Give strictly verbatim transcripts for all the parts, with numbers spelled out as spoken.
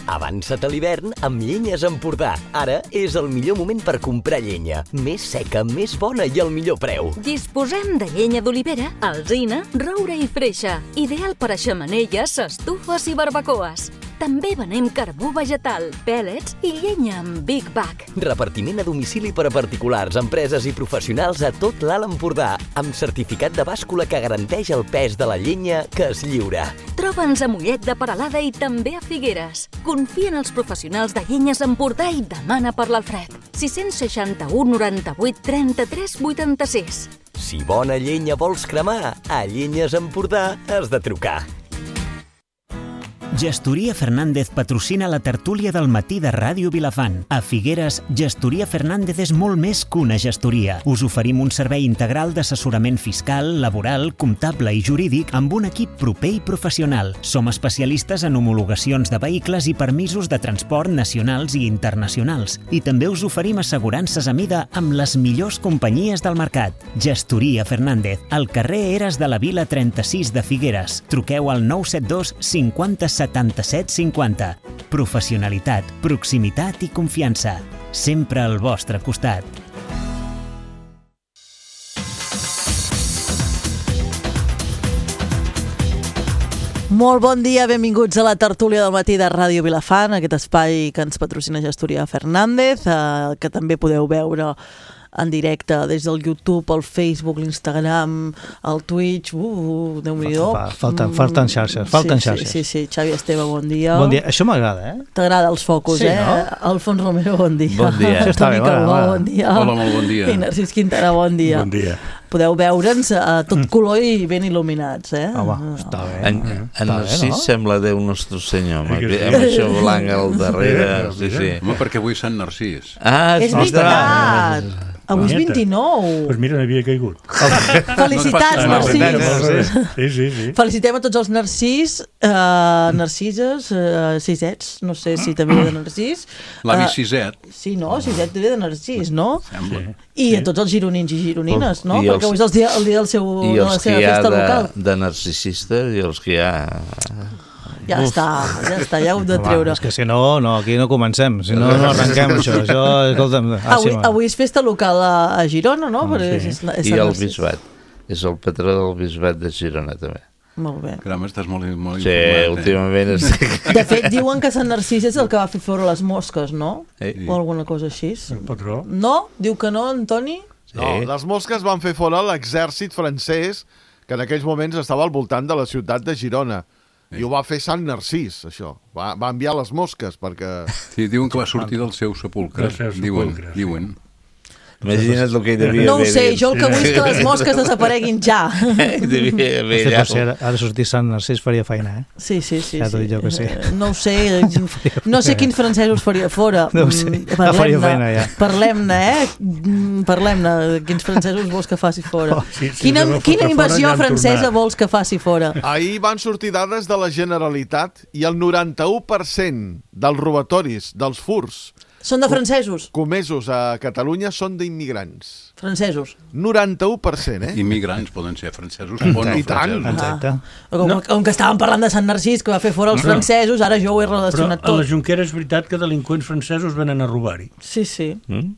Avança't a l'hivern amb Llenyes Empordà. Ara és el millor moment per comprar llenya. Més seca, més bona i al millor preu. Disposem de llenya d'olivera, alzina, roure i freixa. Ideal per a xemeneies, estufes i barbacoes. També venem carbó vegetal, pèl·lets i llenya amb Big Bag. Repartiment a domicili per a particulars, empreses i professionals a tot l'Alt Empordà, amb certificat de bàscula que garanteix el pes de la llenya que es lliura. Troba'ns a Mollet de Peralada i també a Figueres. Confia en els professionals de Llenyes Empordà i demana per l'Alfred. sis seixanta-u noranta-vuit trenta-tres vuitanta-sis. Si bona llenya vols cremar, a Llenyes Empordà has de trucar. Gestoria Fernández patrocina la tertúlia del matí de Ràdio Vilafant. A Figueres, Gestoria Fernández és molt més que una gestoria. Us oferim un servei integral d'assessorament fiscal, laboral, comptable i jurídic amb un equip proper i professional. Som especialistes en homologacions de vehicles i permisos de transport nacionals i internacionals. I també us oferim assegurances a mida amb les millors companyies del mercat. Gestoria Fernández, al carrer Eres de la Vila trenta-sis de Figueres. Truqueu al nou set dos cinquanta setanta-set cinquanta. Professionalitat, proximitat i confiança. Sempre al vostre costat. Molt bon dia, benvinguts a la tertúlia del matí de Ràdio Vilafant, aquest espai que ens patrocina Gestoria Fernández, eh, que també podeu veure en directe des del YouTube, el Facebook, l'Instagram, el Twitch, uh, Déu-n'hi-do. Falten, falten xarxes, falten sí, xarxes. Sí, sí, sí, Xavi Esteve, bon dia. Bon dia, això m'agrada, eh? T'agrada els focus, sí, eh? No? Alfons Romero, bon dia. Bon dia. Toni Calbó, bon dia. Hola, molt bon dia. I Narcís Quintana, bon dia. Bon dia. Podeu veure'ns a tot color i ben il·luminats, eh? Home, està bé. En, en Narcís no? Sembla Déu Nostre Senyor, amb, sí. amb això blanc al darrere. Sí, sí. Home, perquè avui Sant Narcís. Ah, és veritat! Avui és vint-i-nou. Doncs pues mira, n'havia caigut. Felicitats, Narcís. Sí, sí, sí. Felicitem a tots els Narcís, uh, Narcises, uh, sisets, no sé si també ve de Narcís. L'avi Siset. Uh, sí, no? Siset ve de Narcís, no? Sembla. I sí. A tots els gironins i gironines, no? I Perquè els, avui és el dia, el dia del seu, de la seva festa de, local. I de narcisistes i els que hi ha... Ja Uf. està, ja està, ja ho hem de treure. Home, és que si no, no, aquí no comencem, si no, no arrenquem això. això escolta'm, ah, avui, sí, avui és festa local a, a Girona, no? Ah, sí. és, és I el bisbat, és el patró del bisbat de Girona, també. Molt bé. Caram, estàs molt, molt sí, informat. Sí, últimament eh? estic... De fet, diuen que Sant Narcís és el que va fer fora les mosques, no? Sí. O alguna cosa així. El patró. No? Diu que no, Antoni? Sí. No, les mosques van fer fora l'exèrcit francès que en aquells moments estava al voltant de la ciutat de Girona. I ho va fer Sant Narcís, això. Va, va enviar les mosques perquè... Sí, diuen que va sortir del seu sepulcre. Del seu diuen, sepulcre, sí. diuen. Imagina't el que hi devia no ho haver. sé, jo el que vull és que les mosques desapareguin ja. Devia haver ja. allà. Si ara, ara sortir Sant Narcís faria feina, eh? Sí, sí, sí. Ja t'ho dic jo que sí. No ho sé, no sé quins francesos faria fora. No ho sé, ja faria feina ja. Parlem-ne, eh? Parlem-ne, quins francesos vols que faci fora. Oh, sí, sí, quina quina invasió fora, francesa vols que faci fora? Ahir van sortir dades de la Generalitat i el noranta-u per cent dels robatoris, dels furs, són de francesos? comesos a Catalunya són d'immigrants. Francesos? noranta-u per cent, eh? Immigrants poden ser francesos o no francesos. Exacte. Ah. Com, no. com que estàvem parlant de Sant Narcís, que va fer fora els no, francesos, ara jo ho he relacionat tot. Però a la tot. Jonquera és veritat que delinqüents francesos venen a robar-hi. Sí, sí. Mm?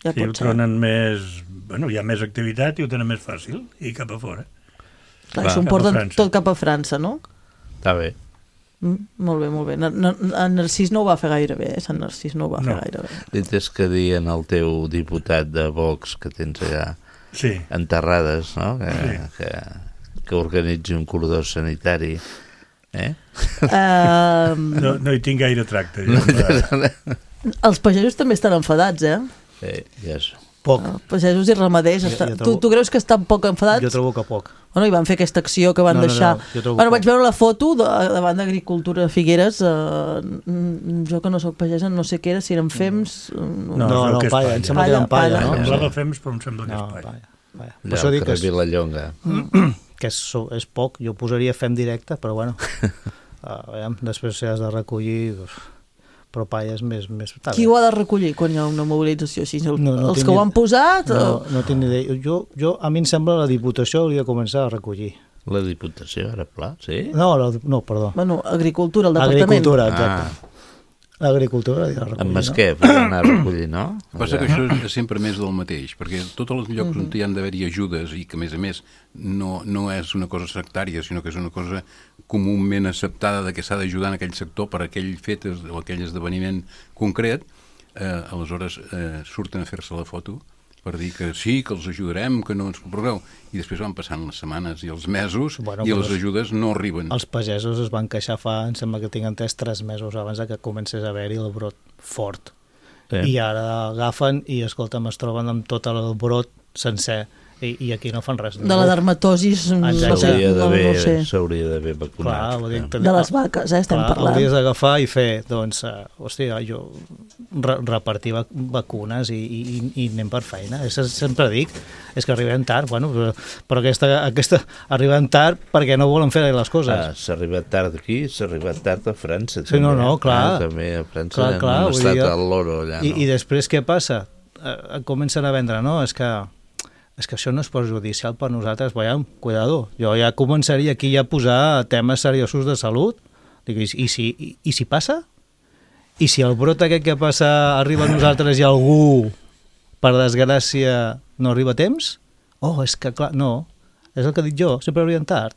Ja sí, ho pot ser. troben més... Bueno, hi ha més activitat i ho tenen més fàcil, i cap a fora. Clar, s'ho porten tot cap a França, no? Està bé. Mm, molt bé, molt bé. En Narcís no ho va fer gaire bé, eh? Sant Narcís no ho va no. fer gaire bé. Li tens que dir al teu diputat de Vox que tens allà sí. enterrades, no? Que, sí. que, que organitzi un cordó sanitari. Eh? Uh, no, no hi tinc gaire tracte. No, no, no. Els pagesos també estan enfadats, eh? Sí, ja és... Poc. Uh, pagesos i ramaders. Està... Jo, jo trobo... tu, tu creus que estan poc enfadats? Jo trobo que poc. Bueno, i van fer aquesta acció que van no, deixar... No, no, bueno, vaig veure la foto de, davant d'Agricultura Figueres, uh, jo que no soc pagesa, no sé què era, si eren fems... No, no, no, no palla, em sembla que eren palla, no? Em semblava fems, però em sembla que és palla. Allà al carrer Vilallonga. Que és, és poc, jo posaria fem directe, però bueno, uh, després si has de recollir... però palla és més... més qui ho ha de recollir quan hi ha una mobilització així? El, no, no els que ho han posat? No, o... no tinc ni idea. Jo, jo, a mi em sembla la Diputació hauria de començar a recollir. La Diputació, ara pla, sí? No, la, no, perdó. Bueno, Agricultura, el departament. Agricultura, exacte. Ah. l'agricultura i la recollir, Amb Masquer, no? Per anar a recollir, no? Passa que això és sempre més del mateix, perquè tots els llocs on hi han d'haver-hi ajudes i que, a més a més, no, no és una cosa sectària, sinó que és una cosa comúment acceptada de que s'ha d'ajudar en aquell sector per aquell fet o aquell esdeveniment concret, eh, aleshores eh, surten a fer-se la foto per dir que sí, que els ajudarem, que no ens preocupeu, i després van passant les setmanes i els mesos Bueno, i però les ajudes no arriben. Els pagesos es van queixar fa, em sembla que tinc entès, tres mesos abans de que comencés a haver-hi el brot fort. Sí. I ara agafen i, escolta'm, es troben amb tot el brot sencer. I, i aquí no fan res. De la dermatosis, no sé, S'hauria no, d'haver no sé. s'hauria d'haver vacunat. Clar, vull dir, eh? ten- De les vaques, eh, estem Clar, parlant. hauries d'agafar i fer, doncs, uh, hòstia, jo re repartir vac vacunes i, i, i anem per feina. És, sempre dic, és que arribem tard, bueno, però, però aquesta, aquesta arribem tard perquè no volen fer les coses. Ah, s'ha arribat tard aquí, s'ha arribat tard a França. Sí, no, no, clar. Ah, també a França Clar, clar, han vull estat dir, al loro allà, I, no? I després què passa? Eh, comencen a vendre, no? És que és que això no és perjudicial per nosaltres, veiem, cuidado, jo ja començaria aquí ja a posar temes seriosos de salut, dic, i, i, si, i, i si passa? I si el brot aquest que passa arriba a nosaltres i algú, per desgràcia, no arriba a temps? Oh, és que clar, no, és el que dic jo, sempre arriben tard.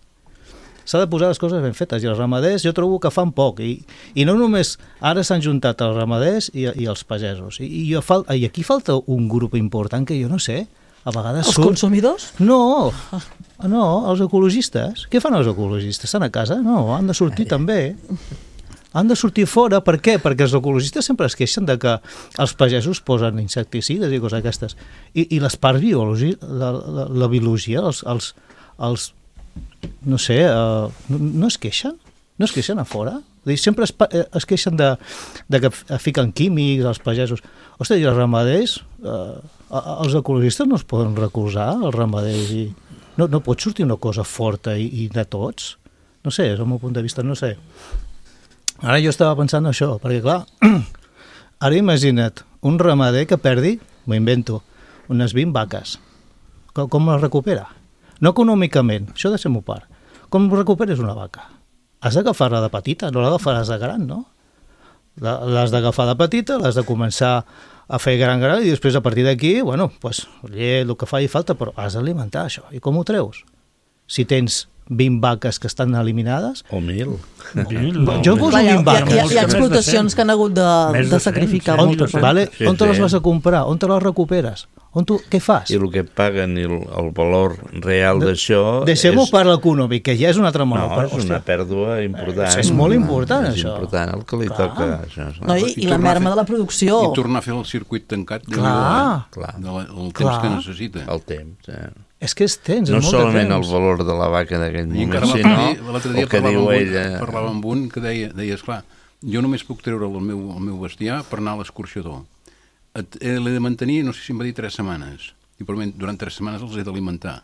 S'ha de posar les coses ben fetes, i els ramaders jo trobo que fan poc, i, i no només ara s'han juntat els ramaders i, i els pagesos, i, i, jo fal, i aquí falta un grup important que jo no sé, a vegades Els surt... consumidors? No, no, els ecologistes. Què fan els ecologistes? Estan a casa? No, han de sortir també. Han de sortir fora. Per què? Perquè els ecologistes sempre es queixen de que els pagesos posen insecticides i coses aquestes. I, i les parts biològiques, la, la, la biologia, els, els, els no sé, uh, no, no es queixen? No es queixen a fora? Dir, sempre es, es queixen de, de que fiquen químics als pagesos. Ostres, i els ramaders, eh, els ecologistes no es poden recolzar, els ramaders, i no, no pot sortir una cosa forta i, i de tots? No sé, és el meu punt de vista, no sé. Ara jo estava pensant això, perquè clar, ara imagina't un ramader que perdi, m'ho invento, unes vint vaques. Com, com les recupera? No econòmicament, això deixem-ho a part. Com recuperes una vaca? Has d'agafar-la de petita, no l'agafaràs de gran, no? L'has d'agafar de petita, l'has de començar a fer gran gran i després a partir d'aquí, bueno, pues, llet, el que faci falta, però has d'alimentar això. I com ho treus? Si tens vint vaques que estan eliminades... O mil. Mil, no. Jo poso Hi ha, vint vaques. hi, ha, hi ha explotacions que han hagut de, Més de de sacrificar cent, moltes. sí, Vale? Sí, On te les sí. vas a comprar? On te les recuperes? On tu, què fas? I el que paguen i el, el valor real d'això... Deixem-ho és... per l'econòmic, que ja és una altra No, monopar. és una pèrdua important. És molt important, és això. És important el que li Clar. toca. Això, No, i, I i la tornar a merma fer- de la producció. I tornar a fer el circuit tancat de Clar. Clar. de la, el temps Clar. que necessita. El temps. Eh? És que és temps, No és molt solament de el temps. valor de la vaca d'aquell I encara moment, l'altre sinó dia, l'altre dia el que parlava, diu amb un, ella. parlava amb un que deia, deia, esclar, jo només puc treure el meu, el meu bestiar per anar a l'escorxador. Et- eh, L'he de mantenir, no sé si em va dir tres setmanes. I per mi, durant tres setmanes els he d'alimentar.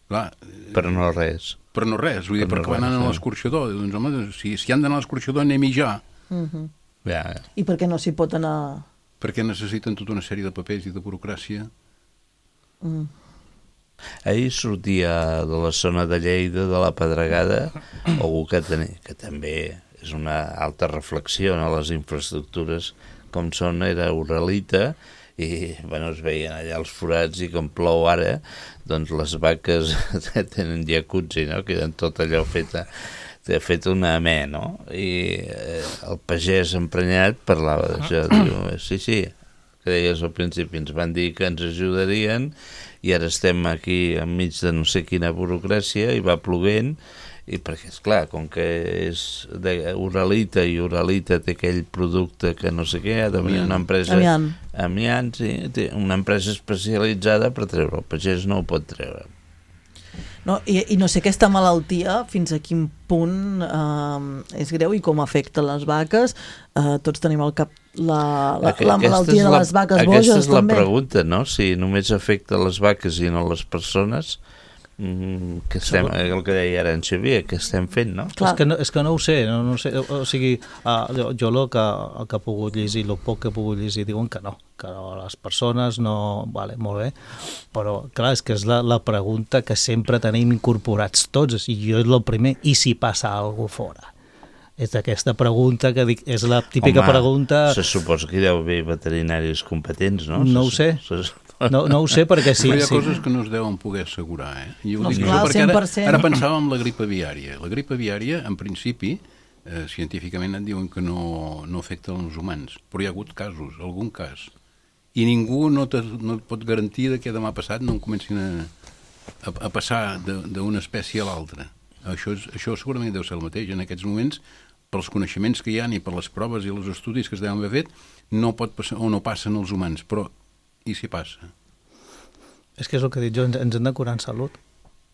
Clar, eh, Però no res. però no res, vull dir, Però no perquè van res, anar a eh. l'escorxador. Doncs, home, si, si han d'anar a l'escorxador, anem-hi ja, Mhm. Ja, I per què no s'hi pot anar... perquè necessiten tota una sèrie de papers i de burocràcia. Mm. ahir sortia de la zona de Lleida, de la Pedregada, algú que, ten... que també és una alta reflexió a les infraestructures com són, era Uralita, i bueno, es veien allà els forats i com plou ara, doncs les vaques tenen jacuzzi, no? Queden tot allò feta, fet una amè, no? I eh, el pagès emprenyat parlava d'això, diu, sí, sí, que deies al principi, ens van dir que ens ajudarien i ara estem aquí enmig de no sé quina burocràcia i va ploguent, i perquè, esclar, com que és de Uralita i Uralita té aquell producte que no sé què, ha de venir una empresa... Amiant. Amiant, sí, té una empresa especialitzada per treure, el pagès no ho pot treure. No, i, I no sé aquesta malaltia fins a quin punt eh, és greu i com afecta les vaques. Eh, tots tenim al cap la, la, Aqu- la aquesta malaltia és de la- les vaques aquesta boges, és la també. pregunta, no? Si només afecta les vaques i no les persones, mm, que estem, el que deia ara en Xavier, que estem fent, no? És que no, és que no ho sé, no, no ho sé. O sigui, uh, jo, jo el que, el que he pogut llegir, el poc que he pogut llegir, diuen que no, que no, les persones no... Vale, molt bé, però clar, és que és la, la pregunta que sempre tenim incorporats tots, i jo és el primer, i si passa alguna cosa fora? És aquesta pregunta que dic, és la típica Home, pregunta... se suposa que hi deu haver veterinaris competents, no? No ho sé. No, no ho sé perquè sí. Però hi ha sí. coses que no es deuen poder assegurar, eh? I ho No, dic clar, jo perquè cent per ara, cent. ara pensava en la grip aviària. La grip aviària, en principi, eh, científicament et diuen que no, no afecta els humans, però hi ha hagut casos, algun cas. I ningú no, te, no et pot garantir que demà passat no en comencin a, a, a passar d'una espècie a l'altra. Això, és, això segurament deu ser el mateix. En aquests moments, pels coneixements que hi ha i per les proves i els estudis que es deuen haver fet, no pot passar, o no passen els humans, però i si passa? És que és el que he dit jo, ens, ens hem de curar en salut.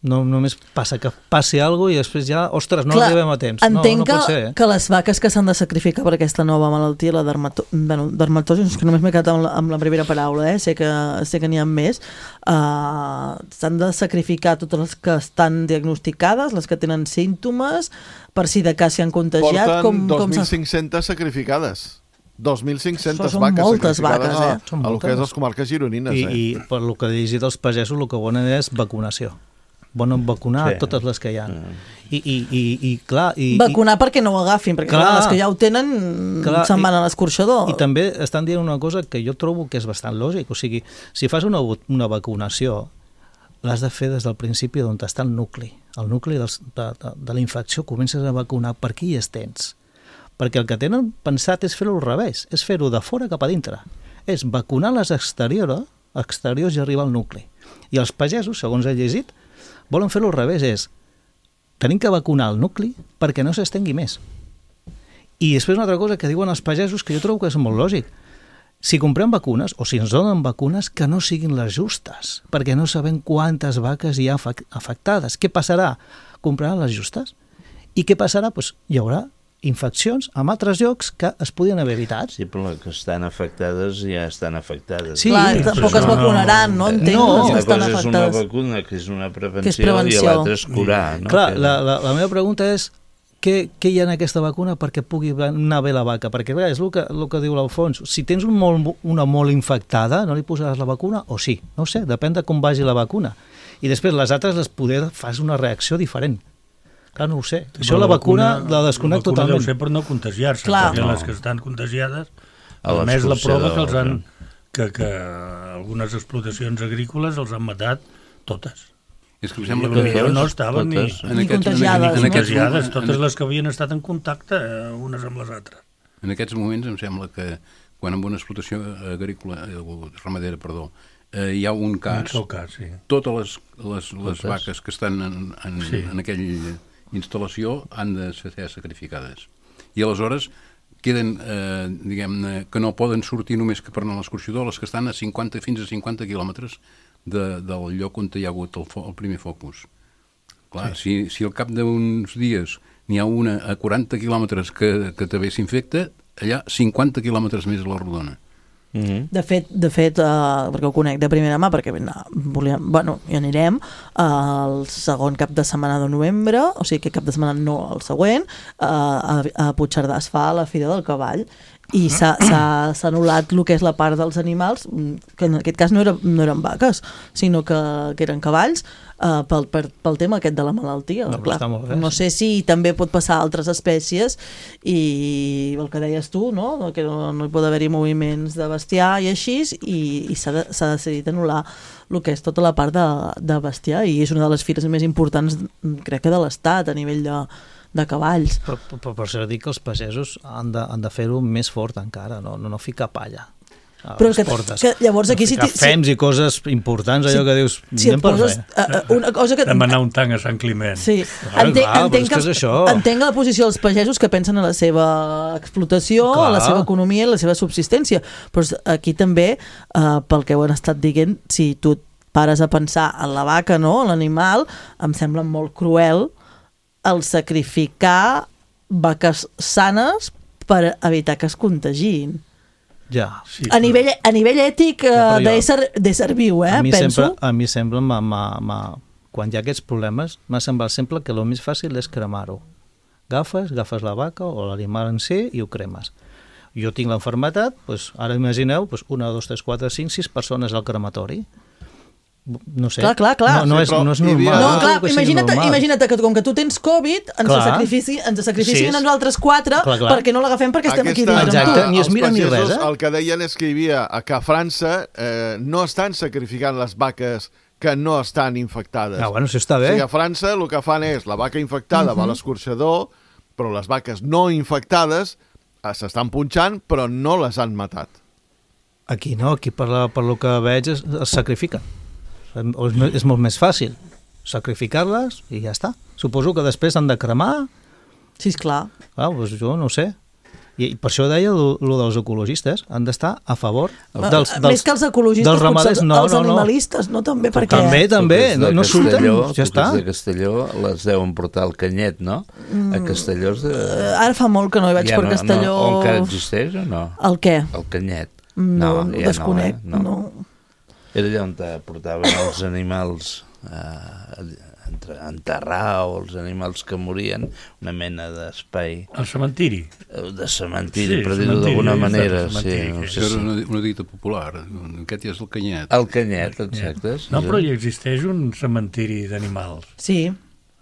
No només passa que passi alguna cosa i després ja, ostres, no Clar, arribem a temps. Entenc no, no que, pot ser, eh? que les vaques que s'han de sacrificar per aquesta nova malaltia, la dermato... bueno, dermatosi, és que només m'he quedat amb la, amb la primera paraula, eh? sé que, sé que n'hi ha més, uh, s'han de sacrificar totes les que estan diagnosticades, les que tenen símptomes, per si de cas s'hi han contagiat. Porten com, com dos mil cinc-centes sacrificades. dos mil cinc-centes Són vaques moltes sacrificades vaques, eh? a, Són a lo que moltes. és les comarques gironines. I, eh? I per lo que he llegit els pagesos, el que volen és vacunació. Volen vacunar Sí. totes les que hi ha. I, i, i, i clar... I, Vacunar perquè no ho agafin, perquè Clar. clar, les que ja ho tenen Clar, se'n van i- a l'escorxador. I també estan dient una cosa que jo trobo que és bastant lògic. O sigui, si fas una, una vacunació, l'has de fer des del principi d'on està el nucli. El nucli dels, de, de, de la infecció comences a vacunar per aquí i es tens. Perquè el que tenen pensat és fer-ho al revés, és fer-ho de fora cap a dintre. És vacunar les exteriors, exteriors i arribar al nucli. I els pagesos, segons he llegit, volen fer-ho al revés, és tenim que vacunar el nucli perquè no s'estengui més. I després una altra cosa que diuen els pagesos que jo trobo que és molt lògic. Si comprem vacunes, o si ens donen vacunes, que no siguin les justes, perquè no sabem quantes vaques hi ha afectades. Què passarà? Compraran les justes. I què passarà? Pues hi haurà infeccions en altres llocs que es podien haver evitat. Sí, però les que estan afectades ja estan afectades. Sí, Clar, però tampoc això es no- vacunaran, no? Entenc No, les que Una estan cosa és una afectades. vacuna, que és una prevenció, Que és prevenció. i l'altra és curar. No? Clar, Que- la, la, la meva pregunta és què, què hi ha en aquesta vacuna perquè pugui anar bé la vaca? Perquè clar, és el que, el que diu l'Alfons. Si tens un molt, una molt infectada, no li posaràs la vacuna o sí? No ho sé, depèn de com vagi la vacuna. I després les altres les poder fas una reacció diferent. Clar, no ho sé. Sí, Això però la vacuna la desconec la vacuna totalment. deu ser per no contagiar-se, Clar. perquè No. les que estan contagiades, A a més la prova que els han, l'escorxador, que, que algunes explotacions agrícoles els han matat totes. És que em I sembla potser que no estaven ni, totes. en Ni aquests, contagiades, en, no? en, aquests, contagiades, en, totes les que havien estat en contacte eh, unes amb les altres. en aquests moments em sembla que quan en una explotació agrícola, eh, o ramadera, perdó, eh, hi ha un En cas, el seu cas, sí. totes les, les, les Totes. vaques que estan en, en, Sí. en aquella instal·lació han de ser sacrificades. I aleshores queden, eh, diguem-ne, que no poden sortir només que per anar a l'escorxador, les que estan a cinquanta, fins a cinquanta quilòmetres de, del lloc on hi ha hagut el, fo, el primer focus. Clar, sí. si, si al cap d'uns dies n'hi ha una a quaranta quilòmetres que, que també s'infecta, allà cinquanta quilòmetres més a la rodona. Mhm. De fet, de fet uh, perquè ho conec de primera mà, perquè no, volíem, bueno, hi anirem uh, el segon cap de setmana de novembre, o sigui que cap de setmana no el següent, uh, a, a Puigcerdà es fa la Fira del Cavall i s'ha s'ha- s'ha anul·lat el que és la part dels animals, que en aquest cas no, era, no eren vaques, sinó que, que eren cavalls, uh, pel, per, pel tema aquest de la malaltia. No, però Clar, està molt bé, no sí. sé si també pot passar a altres espècies i el que deies tu, no? Que no, no hi pot haver-hi moviments de bestiar i així, i, i s'ha de, s'ha decidit anul·lar el que és tota la part de, de bestiar, i és una de les fires més importants, crec que de l'Estat, a nivell de, de cavalls. Però, però per això dic que els pagesos han de, han de fer-ho més fort encara, no, no, no ficar palla a Però les que, portes. que llavors aquí no si, ficar si, fems i coses importants, allò que dius, si et anem per poses fer. uh, uh, una cosa que Demanar un tanc a Sant Climent. sí, Clar, entenc, clar, però entenc, és que és això. entenc la posició dels pagesos que pensen en la seva explotació, Clar. a la seva economia i la seva subsistència, però aquí també, uh, pel que ho han estat dient, si tu et pares a pensar en la vaca, no?, en l'animal, em sembla molt cruel el sacrificar vaques sanes per evitar que es contagin. Ja. Sí, A nivell, a nivell ètic eh, Ja, però jo- d'ésser d'ésser viu, eh, a mi penso. sempre, a mi sembla, ma, ma, ma, quan hi ha aquests problemes, m'ha semblat sempre que el més fàcil és cremar-ho. Agafes, agafes la vaca o l'animal en si i ho cremes. Jo tinc l'enfermetat, doncs, ara imagineu, doncs, una, dos, tres, quatre, cinc, sis persones al crematori. no sé. Clar, clar, clar. No, no, és, Sí, però no és hi havia- normal. No, no clar, crec que sigui imagina't, normal. imagina't que com que tu tens Covid, ens Clar. sacrifici, ens sacrificin Sí. a nosaltres quatre Clar, clar. perquè no l'agafem perquè estem aquí Aquesta- dins Exacte, amb tu. ni es els mira ni pagesos res, eh? El que deien és que hi havia que a França eh, no estan sacrificant les vaques que no estan infectades. Ah, bueno, això està O bé. sigui, a França el que fan és la vaca infectada va a l'escorxador, però les vaques no infectades eh, s'estan punxant, però no les han matat. Aquí no, aquí per, la, per lo que veig es, es sacrifiquen. És, me- és molt més fàcil sacrificar-les i ja està. Suposo que després han de cremar. Sí, esclar. Ah, doncs jo no ho sé. I, i per això deia lo, lo dels ecologistes. Han d'estar a favor dels, dels, Més que els ecologistes, dels potser ramaders. els, No, els no, no. animalistes, no? També, perquè... També, també. Tu que ets No, de no surten, Castelló, ja tu que està. ets de Castelló, les deuen portar al Canyet, no? A Castelló és de... Eh, Ara fa molt que no hi vaig Ja per no, Castelló... No, o encara existeix o no? El què? El Canyet. No, ja ho desconec. No, eh? No. Era allà on te portaven els animals eh, entre enterrar o els animals que morien, una mena d'espai El cementiri. eh, de cementiri, Sí, per dir-ho cementiri, d'alguna ja està, manera. Sí, cementiri, no que- sé Això si... era una, una dita popular. Aquest ja és el Canyet. El Canyet, exacte. sí, No, sí. però hi existeix un cementiri d'animals. Sí.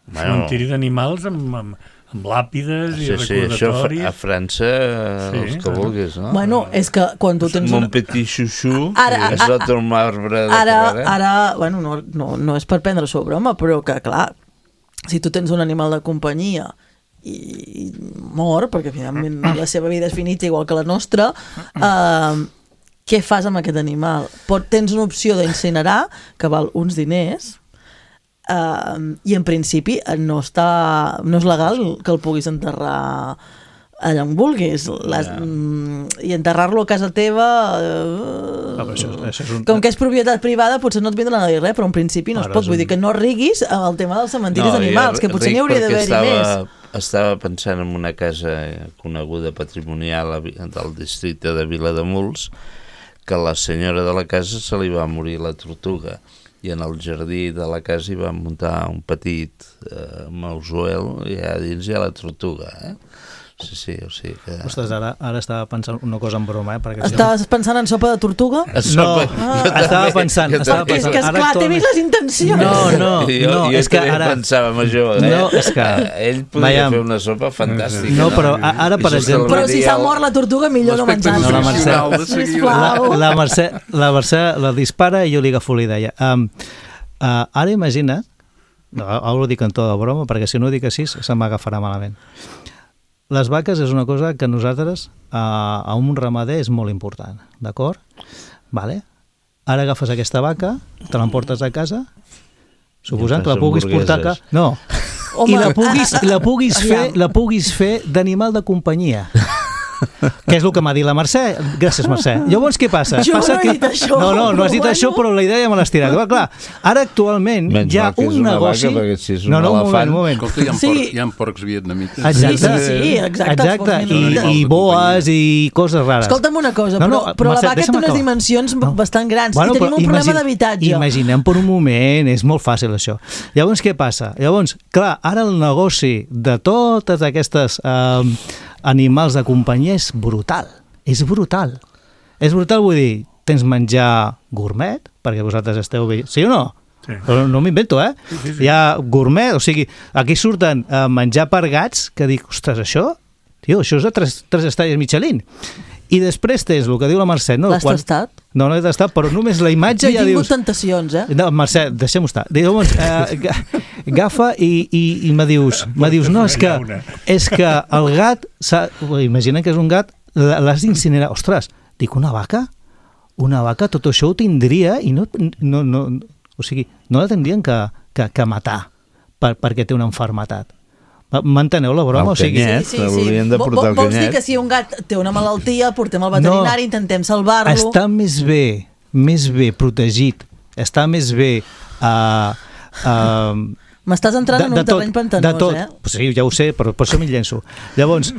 Bueno, Cementiri d'animals amb, amb, amb làpides i sí, sí, això a recordatoris. Fra- a França, eh, Sí, els que clar. vulguis, no? Bueno, és que quan tu tens Mon una... petit xuxú, Ara- és sota un marbre de Ara, carrera. ara bueno, no, no, no és per prendre-s'ho a broma, però que, clar, si tu tens un animal de companyia i, i mor, perquè finalment la seva vida és finita igual que la nostra, eh, què fas amb aquest animal? Pot, tens una opció d'incinerar, que val uns diners, Uh, i en principi no està no és legal que el puguis enterrar allà on vulguis. Les, Ja. mm, i enterrar-lo a casa teva uh, Ah, però això, això és un... com que és propietat privada potser no et vindran a dir res, però en principi no es Ara pot, és vull un- dir que no riguis amb el tema dels cementiris No, d'animals, jo que potser ric n'hi hauria perquè d'haver-hi estava- més. Estava pensant en una casa coneguda patrimonial a Vi- del districte de Vilademuls, que la senyora de la casa se li va morir la tortuga i en el jardí de la casa hi van muntar un petit eh, mausoel i allà dins hi ha la tortuga, eh? Sí, sí, o sigui que... Ostres, ara, ara estava pensant una cosa en broma, eh? Perquè Estaves pensant en sopa de tortuga? No, Jo estava també, pensant... jo Estava també. És pensant que, esclar, t'he vist les intencions. No, no, jo, no, jo és que també ara... pensava en això, eh? No, és que- Ell podria Veiem. fer una sopa fantàstica. No, però a- ara, per I exemple- Però si s'ha mort la tortuga, millor no L'aspecte menjar-la. No, la Mercè. nutricional de seguida. Sisplau. La, la, Mercè, la Mercè la dispara i jo li agafo la idea. Um, uh, ara imagina't, no, ara ho dic en to de broma, perquè si no ho dic així se m'agafarà malament. Les vaques és una cosa que nosaltres, uh, a un ramader, és molt important, d'acord? Vale? Ara agafes aquesta vaca, te l'emportes a casa, suposant que la fas puguis portar a hamburgueses. casa... No, Home, i la puguis, i la puguis fer, aviam. la puguis fer d'animal de companyia. Que és el que m'ha dit la Mercè. Gràcies, Mercè. Llavors, què passa? Jo passa no he que... dit això, No, no, no has dit però això, bueno. però la idea me l'has tirat. Clar, clar, ara actualment Menys hi ha mal que és un una negoci... vaca, perquè si és un no, no, un moment, elefant- un moment. Escolta, hi ha, Sí. porcs, hi ha porcs vietnamites. Exacte. Sí, sí, sí, exacte, els Exacte. porcs I, vietnamites. i boes i coses rares. Escolta'm una cosa, No, però, no, però la Mercè, vaca té deixa'm unes acabar. dimensions No. bastant grans Bueno, i tenim però un problema imagina- d'habitatge. Imaginem per un moment, és molt fàcil això. Llavors, què passa? Llavors, clar, ara el negoci de totes aquestes eh, animals de companyia és brutal. És brutal. És brutal, vull dir, tens menjar gourmet, perquè vosaltres esteu bé... Sí o no? Sí. Però no m'invento, eh? Sí, sí, sí. Hi ha gourmet, o sigui, aquí surten a menjar per gats, que dic, ostres, això, tio, això és de tres, tres estrelles Michelin. I després tens el que diu la Mercè, no? L'has tastat? No, no he tastat, però només la imatge He ja tingut dius... tentacions, eh? No, Mercè, deixem-ho estar. Llavors, eh, ga- agafa i, i, i me dius, me dius, no, és que, és que el gat, s'ha- imagina que és un gat, l'has d'incinerar. Ostres, dic, una vaca? Una vaca, tot això ho tindria i no, no, no, o sigui, no la tindrien que, que, que matar per, perquè té una enfermetat. M'enteneu la broma? El O sigui, canyet. L'haurien de Vo- portar al Vols dir canyet. que si un gat té una malaltia, portem al veterinari, No. intentem salvar-lo... està més bé, més bé protegit, està més bé... Uh, uh, M'estàs entrant en un terreny pantanós, de tot. eh? Sí, ja ho sé, però per això m'hi llenço. Llavors,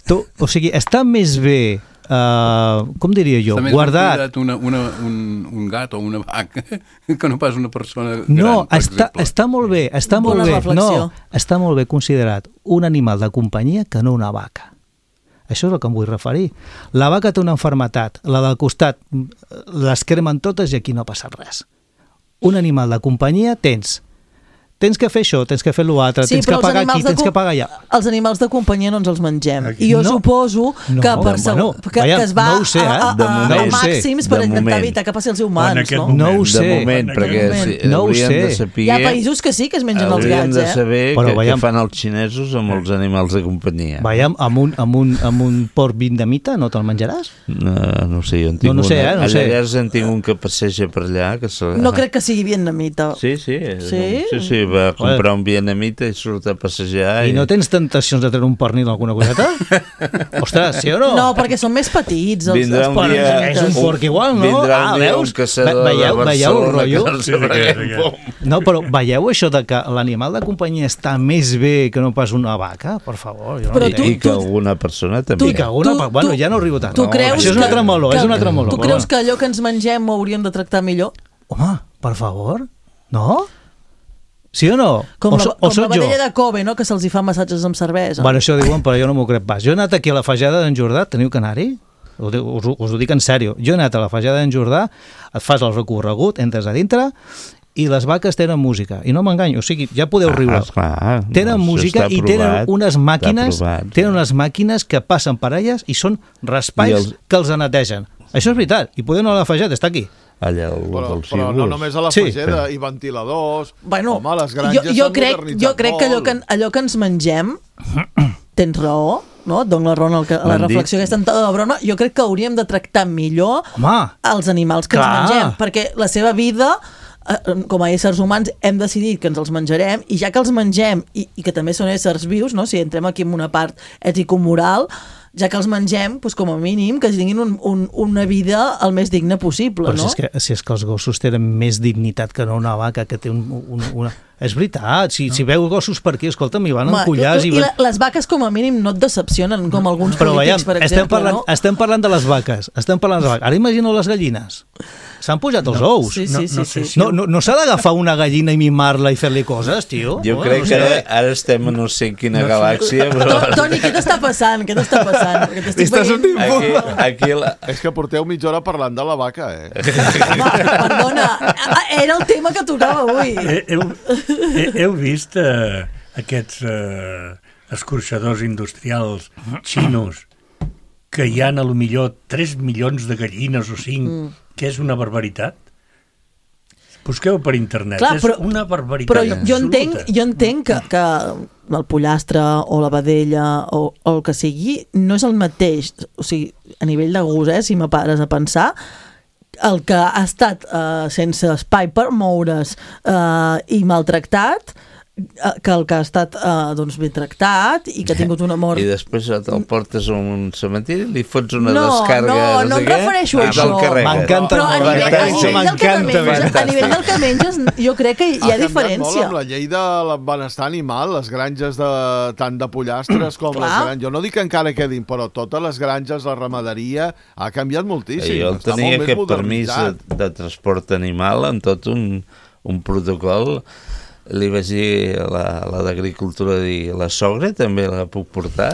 tu, o sigui, està més bé, uh, com diria jo, Està més ben guardat... cuidat una, una, un, un gat o una vaca que no pas una persona gran, No, per està, exemple. està molt bé, està Bona molt bé. reflexió. No, està molt bé considerat un animal de companyia que no una vaca. Això és el que em vull referir. La vaca té una enfermetat, la del costat les cremen totes i aquí no ha passat res. un animal de companyia tens tens que fer això, tens que fer l'altre, Sí, tens que però els pagar aquí, animals de tens que com- pagar allà. Els animals de companyia no ens els mengem. Aquí. I jo No. suposo No, que, per bueno, segur- que, veiem, que es va no ho sé, a, a, eh? a, De a, moment. a No ho sé. màxims per De intentar moment. evitar que passi als En humans, aquest no? moment. No ho De sé. moment, En perquè aquest si, moment. No ho hauríem sé. de saber... Hi ha països que sí que es mengen els hauríem gats, de eh? saber Però què, què veiem- fan els xinesos amb els animals de companyia. Veiem, amb un, amb un, amb un porc vietnamita no te'l menjaràs? No, no sé, jo en tinc No, no sé, una. eh, no a sé. Llavors en tinc un que passeja per allà. Que se... No crec que sigui vietnamita. Sí, sí. Sí? Sí, sí, va comprar un vietnamita i surt a passejar. I no tens tentacions de treure un pernil o alguna coseta? Ostres, sí o no? No, perquè són més petits, els, Vindrà els un porcs. dia- És un porc igual, no? Vindrà un Ah, dia veus? un caçador Ve- veieu- de veieu el Barcelona rotllo? que no Sí, sabrà sí, què sí. pom. No, però veieu això de que l'animal de companyia està més bé que no pas una vaca? Per favor, jo no Però I, entenc. tu- I que tu- alguna persona també. I que alguna... tu- pa- bueno, tu- ja no arribo tant. Tu no, creus això és un que- altre meló, que- és un altre meló. Tu creus que allò que ens mengem ho hauríem de tractar millor? Home, per favor, no? Sí o no? Com, o, la, so, com o soc la jo? vedella de Kobe, no? Que se'ls hi fa massatges amb cervesa. Bueno, això diuen, però jo no m'ho crec pas. Jo he anat aquí a la Fageda d'en Jordà, teniu que anar-hi? Us, us, us ho dic en sèrio. Jo he anat a la Fageda d'en Jordà, et fas el recorregut, entres a dintre i les vaques tenen música. I no m'enganyo, o sigui, ja podeu riure. Ah, esclar, Tenen no, això música està i tenen aprovat, unes està màquines aprovat, tenen sí. unes màquines que passen per elles i són raspalls I els- que els netegen. Això és veritat. I podeu anar a la Fageda, està aquí. Allà el, Però, dels però no només a la Sí. Fageda, i ventiladors... Bueno, Home, les jo, granges jo, s'han crec, modernitzat jo crec que allò molt. que, allò que ens mengem, tens raó, no? Et dono la raó en el que, a la M'han dit- reflexió aquesta entrada de la broma, jo crec que hauríem de tractar millor Home, els animals que clar. ens mengem, perquè la seva vida, eh, com a éssers humans, hem decidit que ens els menjarem, i ja que els mengem, i, i que també són éssers vius, no? Si entrem aquí en una part ètico-moral, ja que els mengem, doncs com a mínim que tinguin un, un, una vida el més digna possible, però no? si és, que, si és que els gossos tenen més dignitat que no una vaca que té un, un, una... És veritat, si, no. si veu gossos per aquí, escolta'm, hi van Home, en collars i, i i van... la, les vaques com a mínim no et decepcionen com alguns Però veiem, polítics, per estem exemple, parlant, no? estem parlant de les vaques, estem parlant de les vaques. Ara imagino les gallines. S'han pujat els No. ous. Sí, sí, No- sí, no sí. sé si- No, no, no s'ha d'agafar una gallina i mimar-la i fer-li coses, tio? Jo No, crec no que sé. ara, ara estem a no sé en quina No sé. galàxia, però... To- Toni, què t'està passant? Què t'està passant? Perquè t'estic Estàs veient... sortint Aquí, aquí la... És que porteu mitja hora parlant de la vaca, eh? Home, perdona, era el tema que tocava avui. He- Heu, he- heu vist eh, aquests eh, escorxadors industrials xinos que hi ha a lo millor tres milions de gallines o cinc, mm. que és una barbaritat? Busqueu per internet, Clar, és però- una barbaritat Però jo absoluta. entenc, jo entenc que, que el pollastre o la vedella o, o el que sigui no és el mateix. O sigui, a nivell de gust, eh, si me pares a pensar, el que ha estat eh, sense espai per moure's eh, i maltractat, eh, que el que ha estat eh, doncs, ben tractat i que ha tingut una mort... I després te'l portes a un cementiri, li fots una No, descàrga... no, no sé em què, refereixo a i te'l això. carregues. M'encanta Però a molt, nivell, a això nivell del que m'encanta, menges, a nivell del que menges, jo crec que hi ha canviat molt diferència. amb la llei del benestar animal, les granges de, tant de pollastres com Clar. les granges. Jo no dic que encara quedin, però totes les granges, la ramaderia, ha canviat moltíssim. I jo Està tenia molt més aquest permís de, modernitzat. de transport animal en tot un, un protocol. Li vaig dir a la, a la d'Agricultura, dir, la sogra també la puc portar?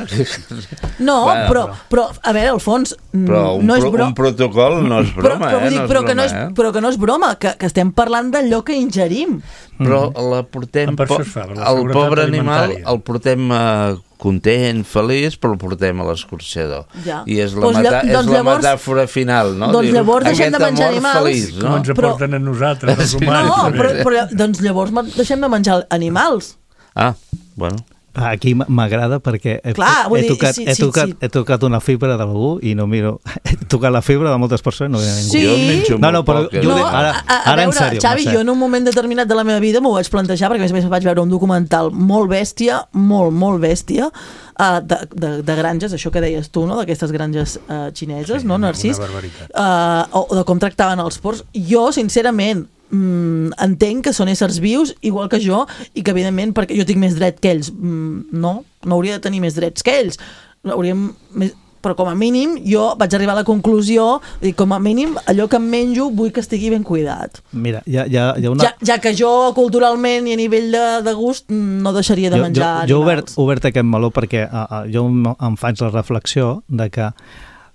No, Bueno, però, però, a veure, Alfons, mm, Però un, no és pro, broma. un protocol no és Però, broma, però, vull eh? dir, No és però, que broma, no és, eh? però que no és broma, que, que estem parlant d'allò que ingerim. Però la portem... Per això po- es fa, per la el seguretat pobre animal alimentària. el portem eh, content, feliç, però el portem a l'escorxador. Ja. I és la, Doncs meta, lla- és doncs la llavors- metàfora final, no? doncs Diu, llavors deixem de aquest menjar amor animals, feliç, Com no? ens Però- aporten a nosaltres, els Sí. humans. No, també. però, però doncs llavors ma- deixem de menjar animals. Ah, bueno. Aquí m- m'agrada perquè he, Clar, vull he, dir, tocat, sí, he, sí, tocat, sí. he tocat una fibra d'algú i no miro... He tocat la fibra de moltes persones i no ve ningú. Sí. Jo en menjo No, no, molt però poc, eh? jo ho No, dic, ara, a, a, a ara en veure, sèrio. Xavi, Mercè. jo en un moment determinat de la meva vida m'ho vaig plantejar, perquè a més a més vaig veure un documental molt bèstia, molt, molt bèstia, uh, de, de, de granges, això que deies tu, no? D'aquestes granges uh, xineses, Sí, no, una- Narcís? una barbaritat. Uh, o, o de com tractaven els porcs. Jo, sincerament, mm, entenc que són éssers vius, igual que jo, i que, evidentment, perquè jo tinc més dret que ells. Mm, no, no hauria de tenir més drets que ells. Hauríem més... Però com a mínim jo vaig arribar a la conclusió i com a mínim allò que em menjo vull que estigui ben cuidat. Mira, hi ha, hi ha, hi ha una... Ja, ja que jo culturalment i a nivell de, de gust no deixaria de jo, menjar jo, jo he obert, animals. he obert aquest meló perquè uh, uh, jo em, em faig la reflexió de que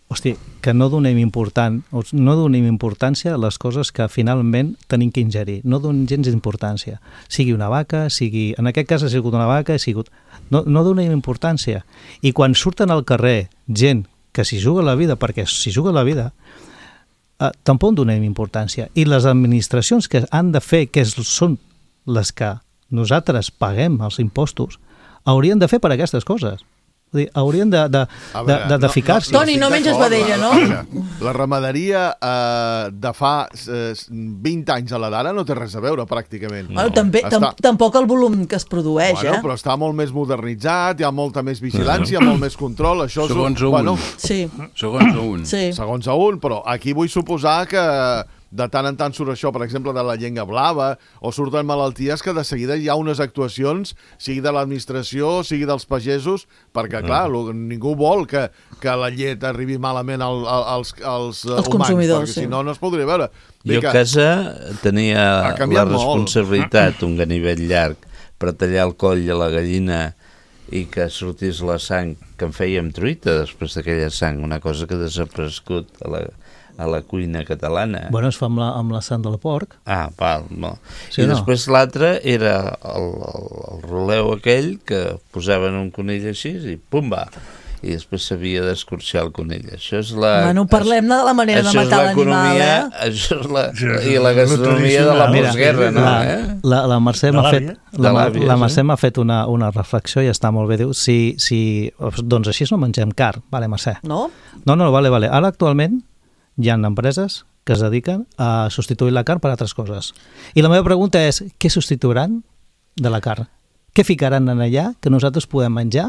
hosti, que no donem, important, no donem importància a les coses que finalment tenim que ingerir. No donem gens importància. Sigui una vaca, sigui... En aquest cas ha sigut una vaca, ha sigut... No, no donem importància. I quan surten al carrer gent que s'hi juga la vida, perquè s'hi juga la vida, eh, tampoc donem importància. I les administracions que han de fer, que són les que nosaltres paguem els impostos, haurien de fer per aquestes coses. Vull dir, haurien de, de, de, de, de ficar-s'hi. No, no, Toni, no menges vedella, no? La ramaderia eh, de fa eh, vint anys a la d'ara no té res a veure, pràcticament. No. Bueno, també, està... Tampoc el volum que es produeix, bueno, eh? Però està molt més modernitzat, hi ha molta més vigilància, molt més control. Això segons és... a un. Bueno, sí. Segons a un. Sí. Segons a un, però aquí vull suposar que de tant en tant surt això, per exemple, de la llengua blava, o surten malalties que de seguida hi ha unes actuacions, sigui de l'administració, sigui dels pagesos, perquè, clar, mm. ningú vol que, que la llet arribi malament al, al, als, als, als humans, perquè sí. si no, no es podria veure. Jo a casa tenia la responsabilitat, un ganivet llarg, per tallar el coll a la gallina i que sortís la sang, que en fèiem truita després d'aquella sang, una cosa que ha desaparegut a la... a la cuina catalana. Bueno, es fa amb la, amb la sang del porc. Ah, val, no. Sí, I no? després l'altre era el, el, el roleu aquell que posaven un conill així i pumba, i després s'havia d'escorxar el conill. Això és la... Bueno, parlem de la manera de matar l'animal, eh? Això és la... I la gastronomia de la postguerra, no? La, eh? la, la Mercè m'ha fet, la, la Mercè sí. m'ha fet una, una reflexió i està molt bé. Diu, si, si, doncs així no mengem car. Vale, Mercè. No? No, no, vale, vale. Ara actualment hi ha empreses que es dediquen a substituir la carn per altres coses. I la meva pregunta és, què substituiran de la carn? Què ficaran en allà que nosaltres podem menjar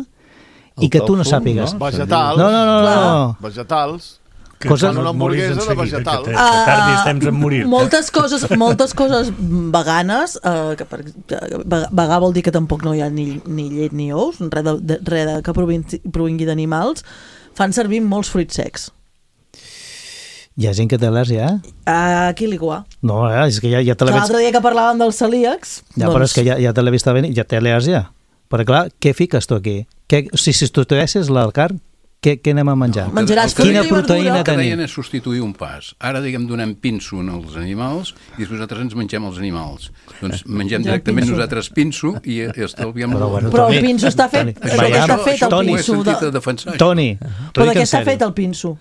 i el que tu no sàpigues? No? Vegetals. No, no, no. no, no. Vegetals. Que coses... una hamburguesa de vegetals. Que, que tardis temps en morir. Moltes coses, moltes coses veganes, eh, que per, vegà vol dir que tampoc no hi ha ni, ni llet ni ous, res, de, de, res de, que provingui d'animals, fan servir molts fruits secs. Hi ha gent que té al·lèrgia, eh? A qui li guà? No, eh? És que ja, ja te l'he vist... L'altre dia que parlàvem dels celíacs... Ja, doncs... però és que ja, ja te l'he vist venir, ja té al·lèrgia. Però clar, què fiques tu aquí? Què, si substitueixes la carn, què, què anem a menjar? No, menjaràs quina proteïna tenim? El que tenim? deien és substituir un pas. Ara, diguem, donem pinso als animals i després nosaltres ens mengem els animals. Doncs mengem directament pinso. Nosaltres pinso i estalviem... Però, bueno, però Toni, el pinso està fet, Toni, Toni, Toni, està fet el Toni, pinso. De... de defensar, Toni, però de què està fet el pinso?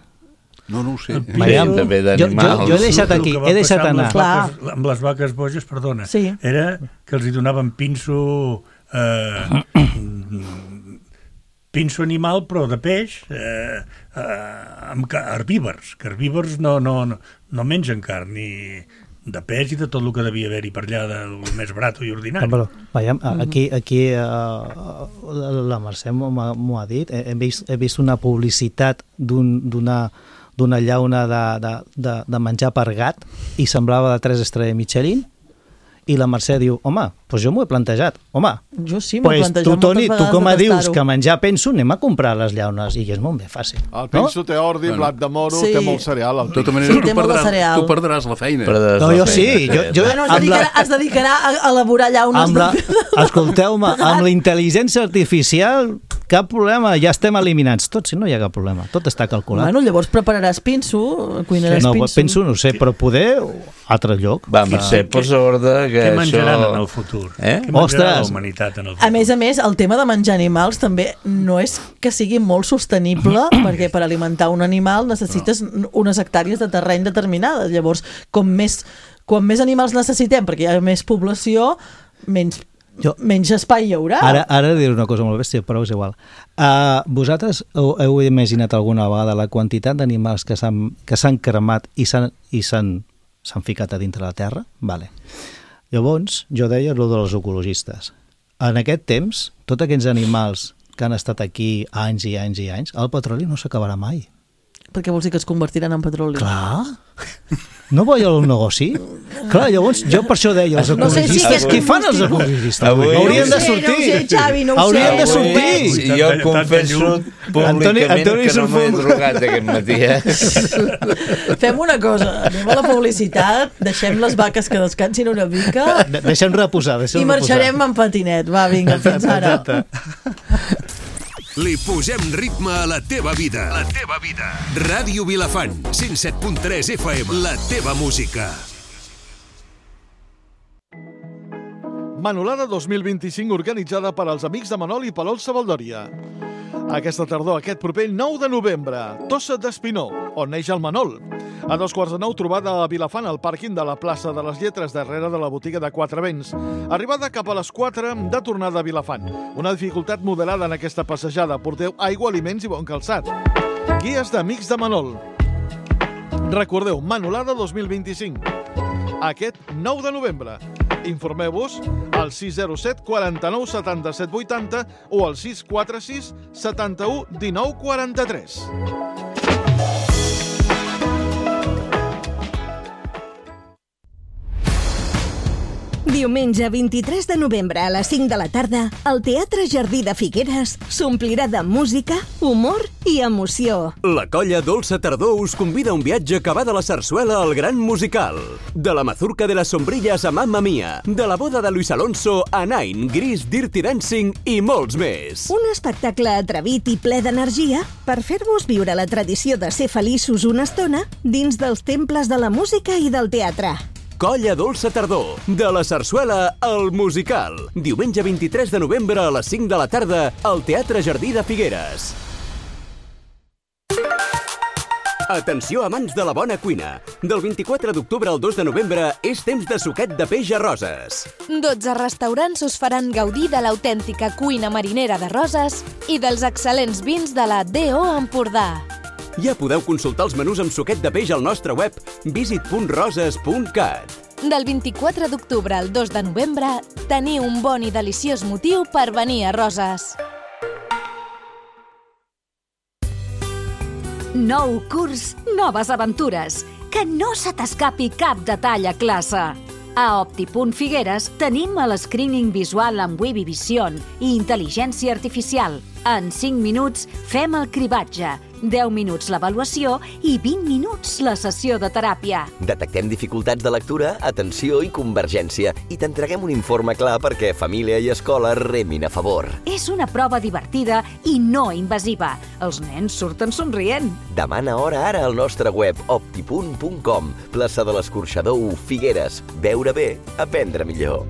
No, no ho sé. Veiem també d'animals. Jo, jo he deixat aquí, he deixat anar. Amb les, vaques, amb les vaques boges, perdona, sí. Era que els hi donaven pinso... Eh, pinso animal, però de peix, eh, eh, amb herbívors, que herbívors no, no, no, no mengen carn, ni de peix i de tot el que devia haver-hi per allà, del més barato i ordinari. Però, veiem, aquí, aquí uh, la Mercè m'ho ha dit, he vist, he vist una publicitat d'un, d'una d'una llauna de, de, de, de menjar per gat i semblava de tres estrelles Michelin i la Mercè diu, home, doncs jo m'ho he plantejat. Home, jo sí m'ho he pues plantejat tu, Toni, tu com a dius que me... menjar penso, anem a comprar les llaunes i és molt més fàcil. El penso no? té ordi, bueno. blat de moro, sí. té molt cereal. De tota manera, sí, tu, perdràs, tu perdràs la feina. Perdràs no, la jo feina, sí. Jo, jo, bueno, es, dedicarà, la... es dedicarà a elaborar llaunes. La... Escolteu-me, amb la intel·ligència artificial, cap problema, ja estem eliminats. Tot, si no hi ha cap problema, tot està calculat. Bueno, llavors prepararàs pinso, cuinaràs no, pinso. Penso, no sé, però poder altre lloc. Va, Mercè, posa ordre que què això... menjaran en el futur? Eh? Què menjarà Ostres. la humanitat en el futur? A més a més, el tema de menjar animals també no és que sigui molt sostenible, perquè per alimentar un animal necessites no. unes hectàrees de terreny determinades. Llavors, com més, com més animals necessitem, perquè hi ha més població, menys, jo, menys espai hi haurà. Ara, ara diré una cosa molt bèstia, però és igual. Uh, vosaltres heu, heu imaginat alguna vegada la quantitat d'animals que s'han que s'han cremat i s'han i s'han s'han ficat a dintre la terra? Vale. Llavors, jo deia el dels ecologistes. En aquest temps, tots aquests animals que han estat aquí anys i anys i anys, el petroli no s'acabarà mai. Perquè vols dir que es convertiran en petroli? Clar. No vull el negoci? Clar, llavors, jo per això deia, els ecologistes, no sé si què fan els ecologistes? Avui haurien de sortir. No sé, Xavi, no ho haurien sé. de sortir. I jo confesso públicament Antoni, que no m'he drogat aquest matí. Eh? Fem una cosa, anem a la publicitat, deixem les vaques que descansin una mica. De deixem reposar, deixem i marxarem reposar. en patinet. Va, vinga, fins ara. Li posem ritme a la teva vida. La teva vida. Ràdio Vilafant, cent set punt tres F M. La teva música. Manolada dos mil vint-i-cinc organitzada per als amics de Manol i Palol Savaldòria. Aquesta tardor, aquest proper nou de novembre, Tossa d'Espinó, on neix el Manol. A dos quarts de nou, trobada a Vilafant, al pàrquing de la plaça de les Lletres, darrere de la botiga de Quatre Vents. Arribada cap a les quatre de tornada a Vilafant. Una dificultat moderada en aquesta passejada. Porteu aigua, aliments i bon calçat. Guies d'Amics de Manol. Recordeu, Manolada dos mil vint-i-cinc. Aquest nou de novembre. Informeu-vos al sis zero set, quaranta-nou, setanta-set, vuitanta o al sis quatre sis, setanta-u, dinou, quaranta-tres. Diumenge vint-i-tres de novembre a les cinc de la tarda, el Teatre Jardí de Figueres s'omplirà de música, humor i emoció. La colla Dolça Tardor us convida a un viatge que va de la sarsuela al gran musical. De la mazurca de les sombrilles a Mamma Mia, de la boda de Luis Alonso a Nine, Gris, Dirty Dancing i molts més. Un espectacle atrevit i ple d'energia per fer-vos viure la tradició de ser feliços una estona dins dels temples de la música i del teatre. Colla Dolça Tardor, de la sarsuela al musical. Diumenge vint-i-tres de novembre a les cinc de la tarda al Teatre Jardí de Figueres. Atenció, amants de la bona cuina. Del vint-i-quatre d'octubre al dos de novembre és temps de suquet de peix a Roses. dotze restaurants us faran gaudir de l'autèntica cuina marinera de Roses i dels excel·lents vins de la D O Empordà. Ja podeu consultar els menús amb suquet de peix al nostre web visit punt roses punt cat. Del vint-i-quatre d'octubre al dos de novembre, teniu un bon i deliciós motiu per venir a Roses. Nou curs, noves aventures. Que no se t'escapi cap detall a classe. A Optipunt Figueres tenim el screening visual amb Webby Vision i intel·ligència artificial. En cinc minuts fem el cribatge, deu minuts l'avaluació i vint minuts la sessió de teràpia. Detectem dificultats de lectura, atenció i convergència i t'entreguem un informe clar perquè família i escola remin a favor. És una prova divertida i no invasiva. Els nens surten somrient. Demana hora ara al nostre web optipunt punt com, plaça de l'Escorxador u, Figueres. Veure bé, aprendre millor.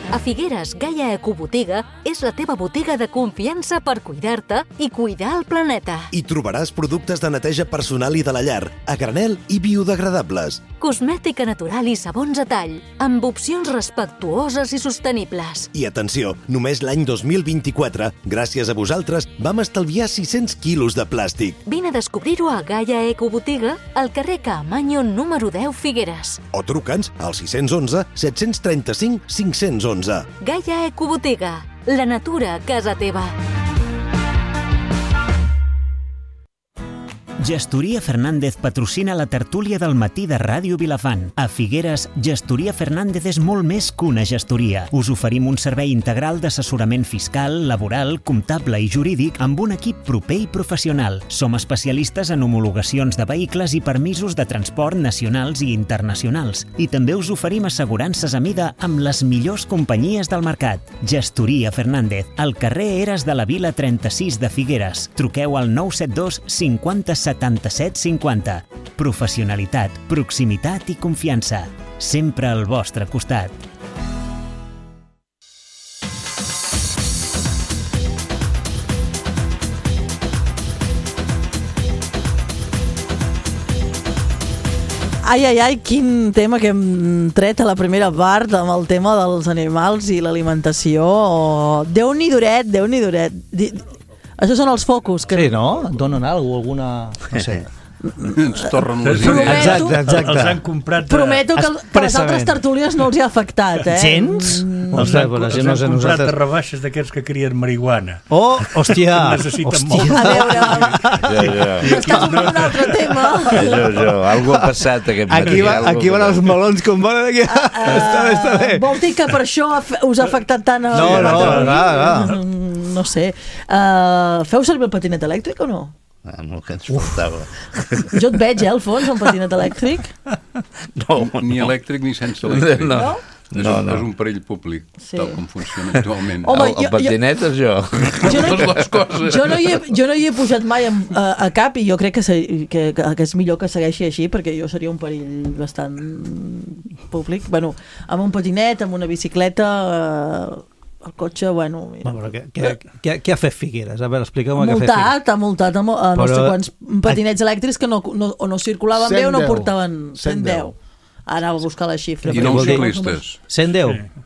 A Figueres, Gaia Ecobotiga és la teva botiga de confiança per cuidar-te i cuidar el planeta. Hi trobaràs productes de neteja personal i de la llar, a granel i biodegradables. Cosmètica natural i sabons a tall, amb opcions respectuoses i sostenibles. I atenció, només l'any dos mil vint-i-quatre, gràcies a vosaltres, vam estalviar sis-cents quilos de plàstic. Vine a descobrir-ho a Gaia Ecobotiga, al carrer Caamaño número deu, Figueres. O truca'ns al sis u u, set tres cinc, cinc u u. Gaia Ecobotiga, la natura a casa teva. Gestoria Fernández patrocina la tertúlia del matí de Ràdio Vilafant. A Figueres, Gestoria Fernández és molt més que una gestoria. Us oferim un servei integral d'assessorament fiscal, laboral, comptable i jurídic amb un equip proper i professional. Som especialistes en homologacions de vehicles i permisos de transport nacionals i internacionals. I també us oferim assegurances a mida amb les millors companyies del mercat. Gestoria Fernández, al carrer Eres de la Vila trenta-sis de Figueres. Truqueu al nou set dos cinquanta setanta-set cinquanta. Professionalitat, proximitat i confiança. Sempre al vostre costat. Ai, ai, ai, quin tema que hem tret a la primera part amb el tema dels animals i l'alimentació. Déu-n'hi duret, Déu-n'hi duret. Això són els focus. Que... Sí, no? Donen alguna cosa, no sé. Ens tornen les Prometo, idees. Exacte, exacte. Els han comprat... Prometo que, el, que les altres tertúlies no els hi ha afectat, eh? Gens? Mm. Els han, els han comprat nosaltres... a rebaixes d'aquests que crien marihuana. Oh, hòstia! Necessiten hòstia. molt. A veure, Jo, jo. estàs obrint un altre tema. Jo, jo. Algo ha passat aquest matí. Aquí, va, aquí van els melons com volen aquí. Uh, està bé, està bé. Vol dir que per això us ha afectat tant a... No, no, no, no. No sé. Uh, feu servir el patinet elèctric o no? Ah, no, que ens faltava. Jo et veig, eh, al fons, un patinet elèctric. No, Ni elèctric ni sense elèctric. No. No? És, No, un, no. és un perill públic, Sí. tal com funciona actualment. Home, el, el jo- patinet és jo. Jo no, Totes les coses. jo, no hi he, jo no hi he pujat mai a, a, a cap i jo crec que, se, que, que, que és millor que segueixi així perquè jo seria un perill bastant públic. Bueno, amb un patinet, amb una bicicleta, eh, el cotxe, bueno... Mira. No, però què, què, què, què ha fet Figueres? A veure, expliqueu-me què ha fet Figueres. Multat, ha multat a, mo- a no Però- sé quants patinets elèctrics que no, no, o no circulaven bé o no cent deu. portaven cent deu. Ara a buscar la xifra. I perquè nou vol dir- ciclistes. cent deu? Sí.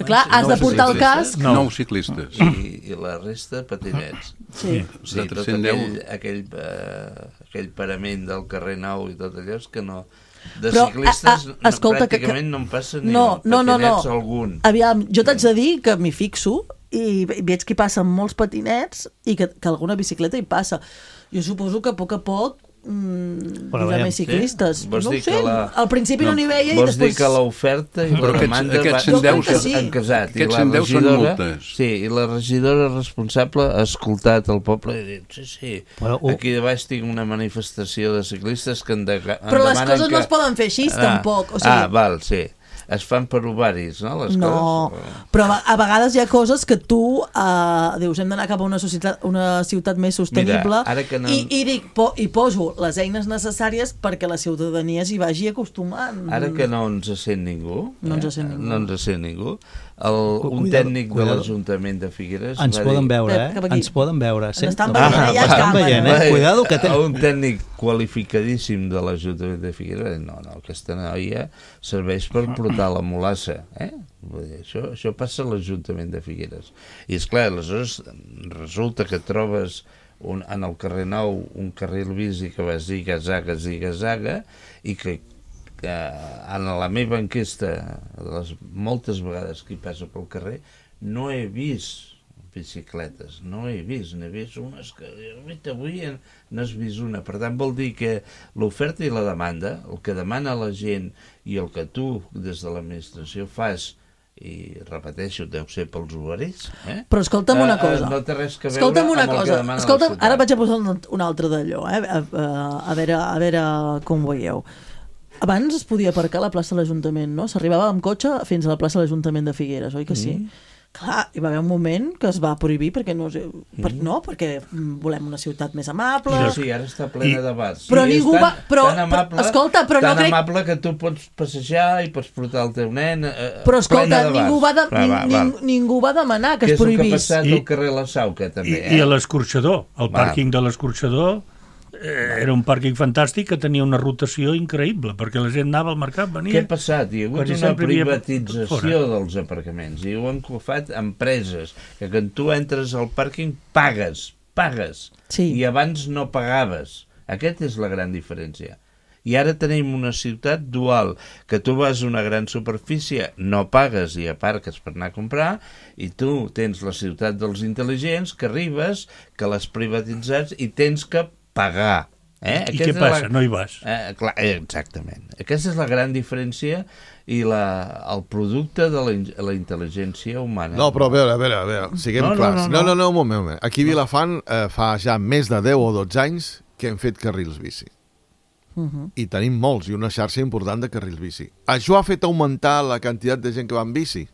Clar, has de portar el casc. No. Nou ciclistes. I, I la resta, patinets. Sí. O sigui, tot cent deu. aquell, aquell, uh, aquell parament del carrer Nou i tot allò és que no... De Però, ciclistes a, a, escolta, que, pràcticament que... no em passa ni no, un. no, no, no. Patinets algun. Aviam, jo t'haig de dir que m'hi fixo i veig que hi passen molts patinets i que, que alguna bicicleta hi passa. Jo suposo que a poc a poc mm, hi haurà més ciclistes. Sí? Vols No ho dir sé, que la... al principi no, no n'hi veia i vols després... dir que l'oferta i Però la aquests- demanda aquests va- cent deu han- sí. han casat. I Aquests la cent deu són regidora- multes. Sí, i la regidora responsable ha escoltat el poble i ha dit, sí, sí, Però, uh, aquí de baix tinc una manifestació de ciclistes que en, de, en Però les demanen coses que... no es poden fer així, ah, tampoc. O sigui, Ah, val, sí. Es fan per ovaris, no? Les no, coses. però a a vegades hi ha coses que tu uh, dius hem d'anar cap a una, societat, una ciutat més sostenible. Mira, ara que no- i, i dic, po, i poso les eines necessàries perquè la ciutadania s'hi vagi acostumant. Ara que no ens sent ningú, No ens sent ningú. no ens sent ningú, el, un Cuidado, tècnic cuidado. de l'Ajuntament de Figueres Ens va poden dir... veure, Pep, cap eh? aquí. Ens poden veure. Ens estan No, veient, ja estan està, veient, Va eh? dir, Cuidado que té... un tècnic qualificadíssim de l'Ajuntament de Figueres va dir, no, no, aquesta noia serveix per portar la molassa, eh? Vull dir, això, això passa a l'Ajuntament de Figueres. I esclar, aleshores resulta que trobes un, en el carrer Nou un carril bici que va ziga-zaga, ziga-zaga, i que que en la meva enquesta, les moltes vegades que hi passa pel carrer, no he vist bicicletes, no he vist, n'he vist unes que avui n'has vist una. Per tant, vol dir que l'oferta i la demanda, el que demana la gent i el que tu des de l'administració fas, i repeteixo, deu ser pels ovaris, eh? Però escolta'm una Eh, eh, cosa. no té res que veure Escolta'm una amb el que cosa. demana la Escolta'm, ciutat. ara vaig a posar un, un altre d'allò, eh? A, a, a, veure, a veure com ho veieu. Abans es podia aparcar a la plaça de l'Ajuntament, no? S'arribava amb cotxe fins a la plaça de l'Ajuntament de Figueres, oi que sí? Mm. Clar, hi va haver un moment que es va prohibir perquè no, sé, per, no, perquè volem una ciutat més amable. Sí, sí, ara està plena de bars. Però sí, ningú tan, va... Però, tan amable, però, escolta, però tan no crec... amable que tu pots passejar i pots portar el teu nen eh, Però escolta, plena de bars. ningú va, de, Va, va, ning, va. ningú va demanar que Què es és el que ha prohibís. passat I- al carrer La Sauca, també, I, eh? I a l'escorxador, el Va. pàrquing de l'escorxador eh, era un pàrquing fantàstic que tenia una rotació increïble, perquè la gent anava al mercat, venia... Què ha passat? Hi ha hagut quasi una sempre hi havia privatització fora. dels aparcaments i ho han cofat empreses, que quan tu entres al pàrquing pagues, pagues, Sí. i abans no pagaves. Aquesta és la gran diferència. I ara tenim una ciutat dual, que tu vas a una gran superfície, no pagues i aparques per anar a comprar, i tu tens la ciutat dels intel·ligents, que arribes, que l'has privatitzat i tens que pagar. Eh? I Aquesta què és passa? La... No hi vas. Eh, clar, eh, exactament. Aquesta és la gran diferència i la, el producte de la, in- la intel·ligència humana. No, però a veure, a veure, a veure, siguem No, no, clars. no, No, no. no, no, un moment, un moment. Aquí a Vilafant eh, fa ja més de deu o dotze anys que hem fet carrils bici. Uh -huh. I tenim molts, i una xarxa important de carrils bici. Això ha fet augmentar la quantitat de gent que va en bici?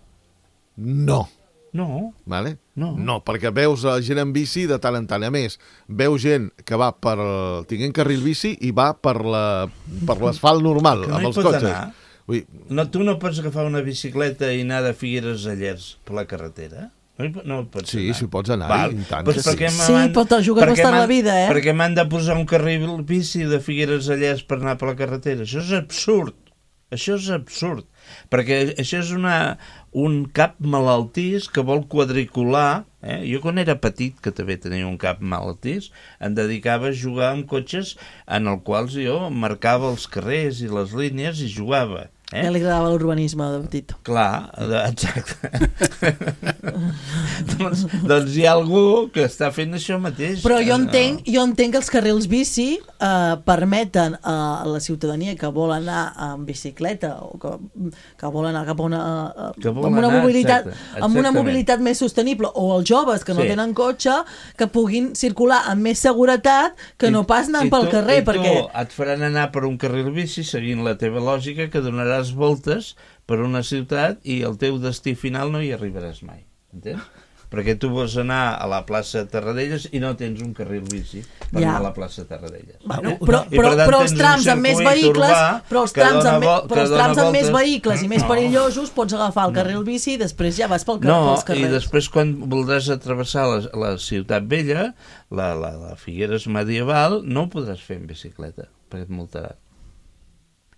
No. No. Vale? No. No, perquè veus la gent en bici de tant en tant. A més, veus gent que va per el... tinguent carril bici i va per la per l'asfalt normal, Que no amb hi els pots cotxes. anar. Vull dir, No, tu no pots agafar una bicicleta i anar de Figueres a Llers per la carretera? No, hi, po- no hi pots Sí, anar. sí, pots anar, Val. i tant Pues que per què sí. m'han- Sí, però te jugues per què bastant la m'han- vida, eh? Per què m'han de posar un carril bici de Figueres a Llers per anar per la carretera? Això és absurd. Això és absurd. Perquè això és una, un cap malaltís que vol quadricular. Eh? Jo quan era petit, que també tenia un cap malaltís, em dedicava a jugar amb cotxes en els quals jo marcava els carrers i les línies i jugava. Eh? Ja li agradava l'urbanisme de petit. Clar, de- exacte. doncs, doncs hi ha algú que està fent això mateix. Però jo Eh, entenc, jo entenc que els carrils bici eh, permeten a la ciutadania que vol anar amb bicicleta o que, que vol anar cap a una, eh, Que vol amb una anar, mobilitat exacte, amb una exactament. mobilitat més sostenible, o els joves que no Sí. tenen cotxe, que puguin circular amb més seguretat que no pas anant I pel tu- carrer, i tu perquè et faran anar per un carril bici seguint la teva lògica, que donaràs voltes per una ciutat i el teu destí final no hi arribaràs mai, entens? Perquè tu vols anar a la plaça Tarradellas i no tens un carril bici per Ja. anar a la plaça Tarradellas. Bueno, Eh? però, I, per però, tant, però els tens un trams amb més circuit vehicles, urbà però els que trams dona amb, me- vol- però que els dona trams amb més voltes. vehicles i més No. perillosos pots agafar el carril bici i després ja vas pel car No, pels i carrers. després quan voldràs atravessar la, la ciutat vella, la, la, la Figueres medieval, no ho podràs fer en bicicleta, perquè et multarà.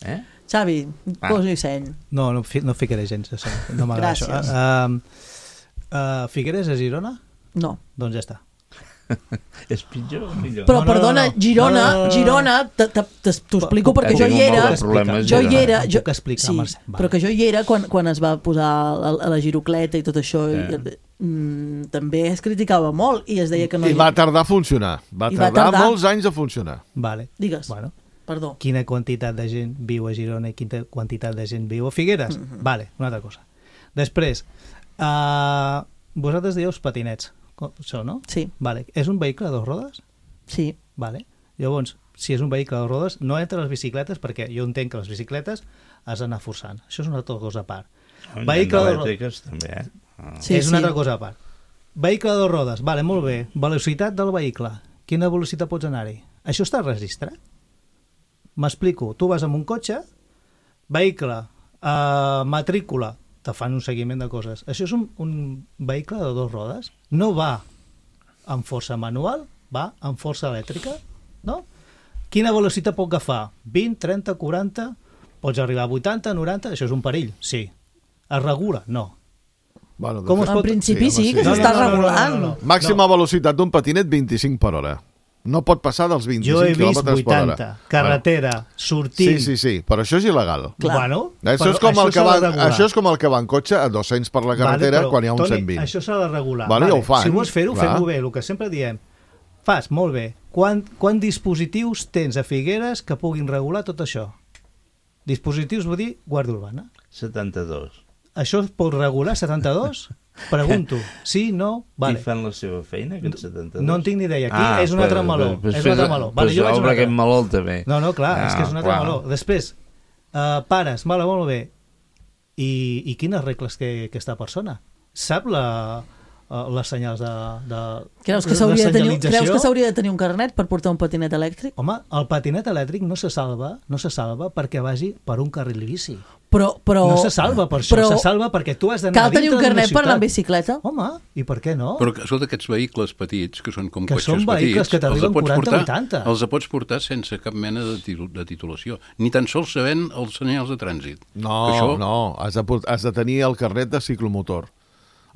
Eh? Xavi, Ah. poso-hi seny. No, no, fi- no ficaré gens de seny. No m'agrada això. Gràcies. Uh, uh, Figueres a Girona? No. Doncs ja està. És pitjor o millor? Però, No, no, perdona, no, no. Girona, No, no, no, no. Girona, te- te- te- t'ho explico Puc- perquè puc jo hi explicar era, molts problemes, jo hi Girona. era, jo, Puc explicar, sí, Mercè, va. però que jo hi era quan, quan es va posar a, a la girocleta i tot això, Sí. i, mm, també es criticava molt i es deia que no I hi... va tardar a funcionar. Va I va tardar tardar. molts anys a funcionar. Vale. Digues, Bueno, perdó. quina quantitat de gent viu a Girona i quina quantitat de gent viu a Figueres? Mhm. Vale, una altra cosa. Després, uh, vosaltres dieu patinets, com- això, no? Sí. Vale. És un vehicle de dos rodes? Sí. Vale. Llavors, si és un vehicle de dos rodes, no entra les bicicletes, perquè jo entenc que les bicicletes has d'anar forçant. Això és una altra cosa a part. Vehicle de ro- elèctriques també, eh? Ah. Sí, és una sí. altra cosa a part. Vehicle de dos rodes, vale, molt bé. Velocitat del vehicle. Quina velocitat pots anar-hi? Això està registrat? M'explico. Tu vas amb un cotxe, vehicle, eh, matrícula, te fan un seguiment de coses. Això és un, un vehicle de dos rodes. No va amb força manual, va amb força elèctrica, no? Quina velocitat pot agafar? vint, trenta, quaranta? Pots arribar a vuitanta, noranta? Això és un perill? Sí. Es regula? No. Bueno, de Com fet- es pot- En principi sí, home, que No, no, s'està no, no, no, regulant. no, no. Màxima velocitat d'un patinet vint-i-cinc per hora. No pot passar dels vint-i-cinc Jo he vist quilòmetres per hora. vuitanta, carretera, sortint... Sí, sí, sí, però això és il·legal. Clar. Bueno, Això però és, com el que s'ha de va, regular. això és com el que va en cotxe a dos-cents per la carretera Vale, però, quan hi ha un Toni, cent vint. Això s'ha de regular. Vale, ja ho fan, Si vols fer-ho, clar. fem-ho bé. El que sempre diem, fas, molt bé. Quan, quan dispositius tens a Figueres que puguin regular tot això? Dispositius vull dir Guàrdia Urbana. setanta-dos. Això es pot regular, setanta-dos? Pregunto. Sí, no? Vale. I fan la seva feina, aquests setanta-dos? No en tinc ni idea. Aquí és un altre meló. Pues, és un altre meló. Vale, pues jo vaig a un obre altre. aquest meló també. No, no, clar, Ah, és que és un altre clar. meló. Després, uh, pares, vale, molt bé. I, i quines regles té aquesta persona? Sap la, uh, les senyals de, de, Creus que de s'hauria de tenir, senyalització? creus que s'hauria de tenir un carnet per portar un patinet elèctric? Home, el patinet elèctric no se salva, no se salva perquè vagi per un carril bici. Però, però, No se salva per això, però se salva perquè tu has d'anar cal tenir dintre un d'una carnet per anar ciutat. en bicicleta? Home, i per què no? Però escolta, aquests vehicles petits, que són com Que cotxes són vehicles petits, que t'arriben els pots quaranta, portar- vuitanta. Els pots portar sense cap mena de, titu- de titulació, ni tan sols sabent els senyals de trànsit. No, Que això- no, has de, port- has de tenir el carnet de ciclomotor.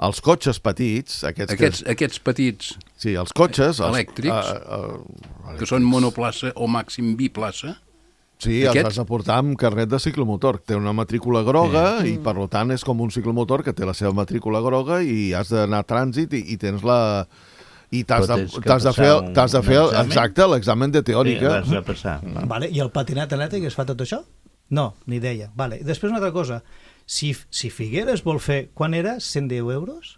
Els cotxes petits, aquests, Aquests, que... aquests petits Sí, els cotxes... Els, elèctrics, uh, uh, que són monoplaça o màxim biplaça, Sí, els Aquests- has de portar amb carnet de ciclomotor. Té una matrícula groga i, per tant, és com un ciclomotor que té la seva matrícula groga i has d'anar a trànsit i, i tens la... I t'has Però de, tens que t'has de passar fer, un- t'has de un fer examen? exacte, l'examen de teòrica. Sí, l'has de passar. Vale, I el patinet elèctric es fa tot això? No, ni idea. Vale. I després una altra cosa. Si, si Figueres vol fer... Quan era? cent deu euros?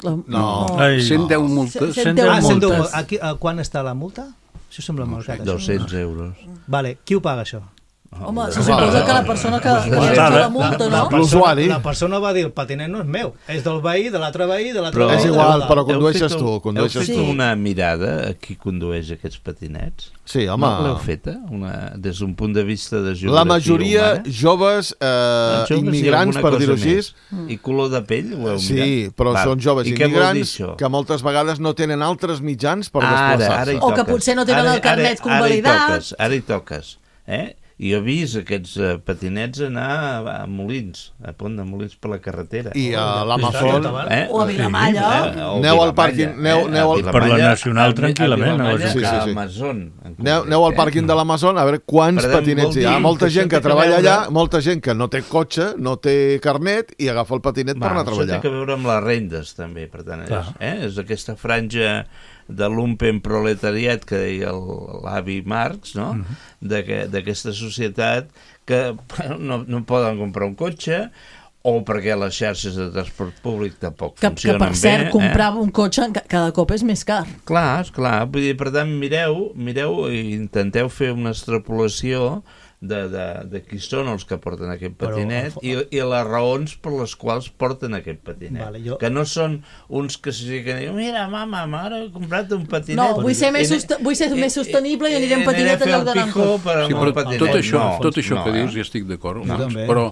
No. Ai, cent deu multes. cent deu Ah, cent deu. multes. Aquí, a, quan està la multa? Això sembla molt car. això. dos-cents euros. Vale, qui ho paga, això? Home, se suposa que la persona que que Bueno, ha la- la multa, La no? persona, L'usuari. la persona va dir, el patinet no és meu, és del veí, de l'altre veí, de l'altre Però- veí. És de igual, l'altre. però Heu condueixes fet tu, un- condueixes Heu fet tu. una mirada a qui condueix aquests patinets? Sí, home. No l'heu feta? Una, des d'un punt de vista de geografia La majoria humana? joves eh, Els joves i immigrants, alguna per cosa dir-ho així. més. I color de pell? Ho heu Sí, mirat? però Val. són joves I què vol dir immigrants això? que moltes vegades no tenen altres mitjans per Ara, ara hi desplaçar-se. O que toques. potser no tenen Ara- el carnet ara- convalidat. Ara hi toques, ara hi toques. Eh? I jo he vist aquests uh, patinets anar a, a Molins, a Pont de Molins per la carretera. I a Oh, l'Amazon... Eh? O a Vilamalla. Eh? O Aneu al Vilamalla, pàrquing, aneu- eh? aneu A al- Vilamalla, Per la Nacional, a- tranquil·lament, a Vilamalla, a la Sí, sí, sí. a Amazon. en Aneu, concret, aneu al eh? pàrquing de l'Amazon a veure quants Per tant, patinets vol hi ha. dir Molta que gent això que té que treballa veure- allà, molta gent que no té cotxe, no té carnet i agafa el patinet per Va, anar a això treballar. té que veure amb les rendes, també, per tant, és, Clar. eh? és aquesta franja de lumpen proletariat que deia el- l'avi Marx, no? Mhm. D'aquesta d'aquesta societat que no, no poden comprar un cotxe o perquè les xarxes de transport públic tampoc Que, que funcionen per cert, bé. comprar un cotxe ca- cada cop és més car. Eh? Clar, esclar. Vull dir, per tant, mireu, mireu i intenteu fer una extrapolació de, de, de qui són els que porten aquest patinet Però, i, i les raons per les quals porten aquest patinet. Vale, jo... Que no són uns que s'hi que diuen mira, mama, mare, he comprat un patinet. No, vull ser més, sost... vull ser més sostenible i aniré en patinet en lloc d'anar en cotxe. Sí, però tot això, no, tot això no, que dius, ja estic d'acord, no, però,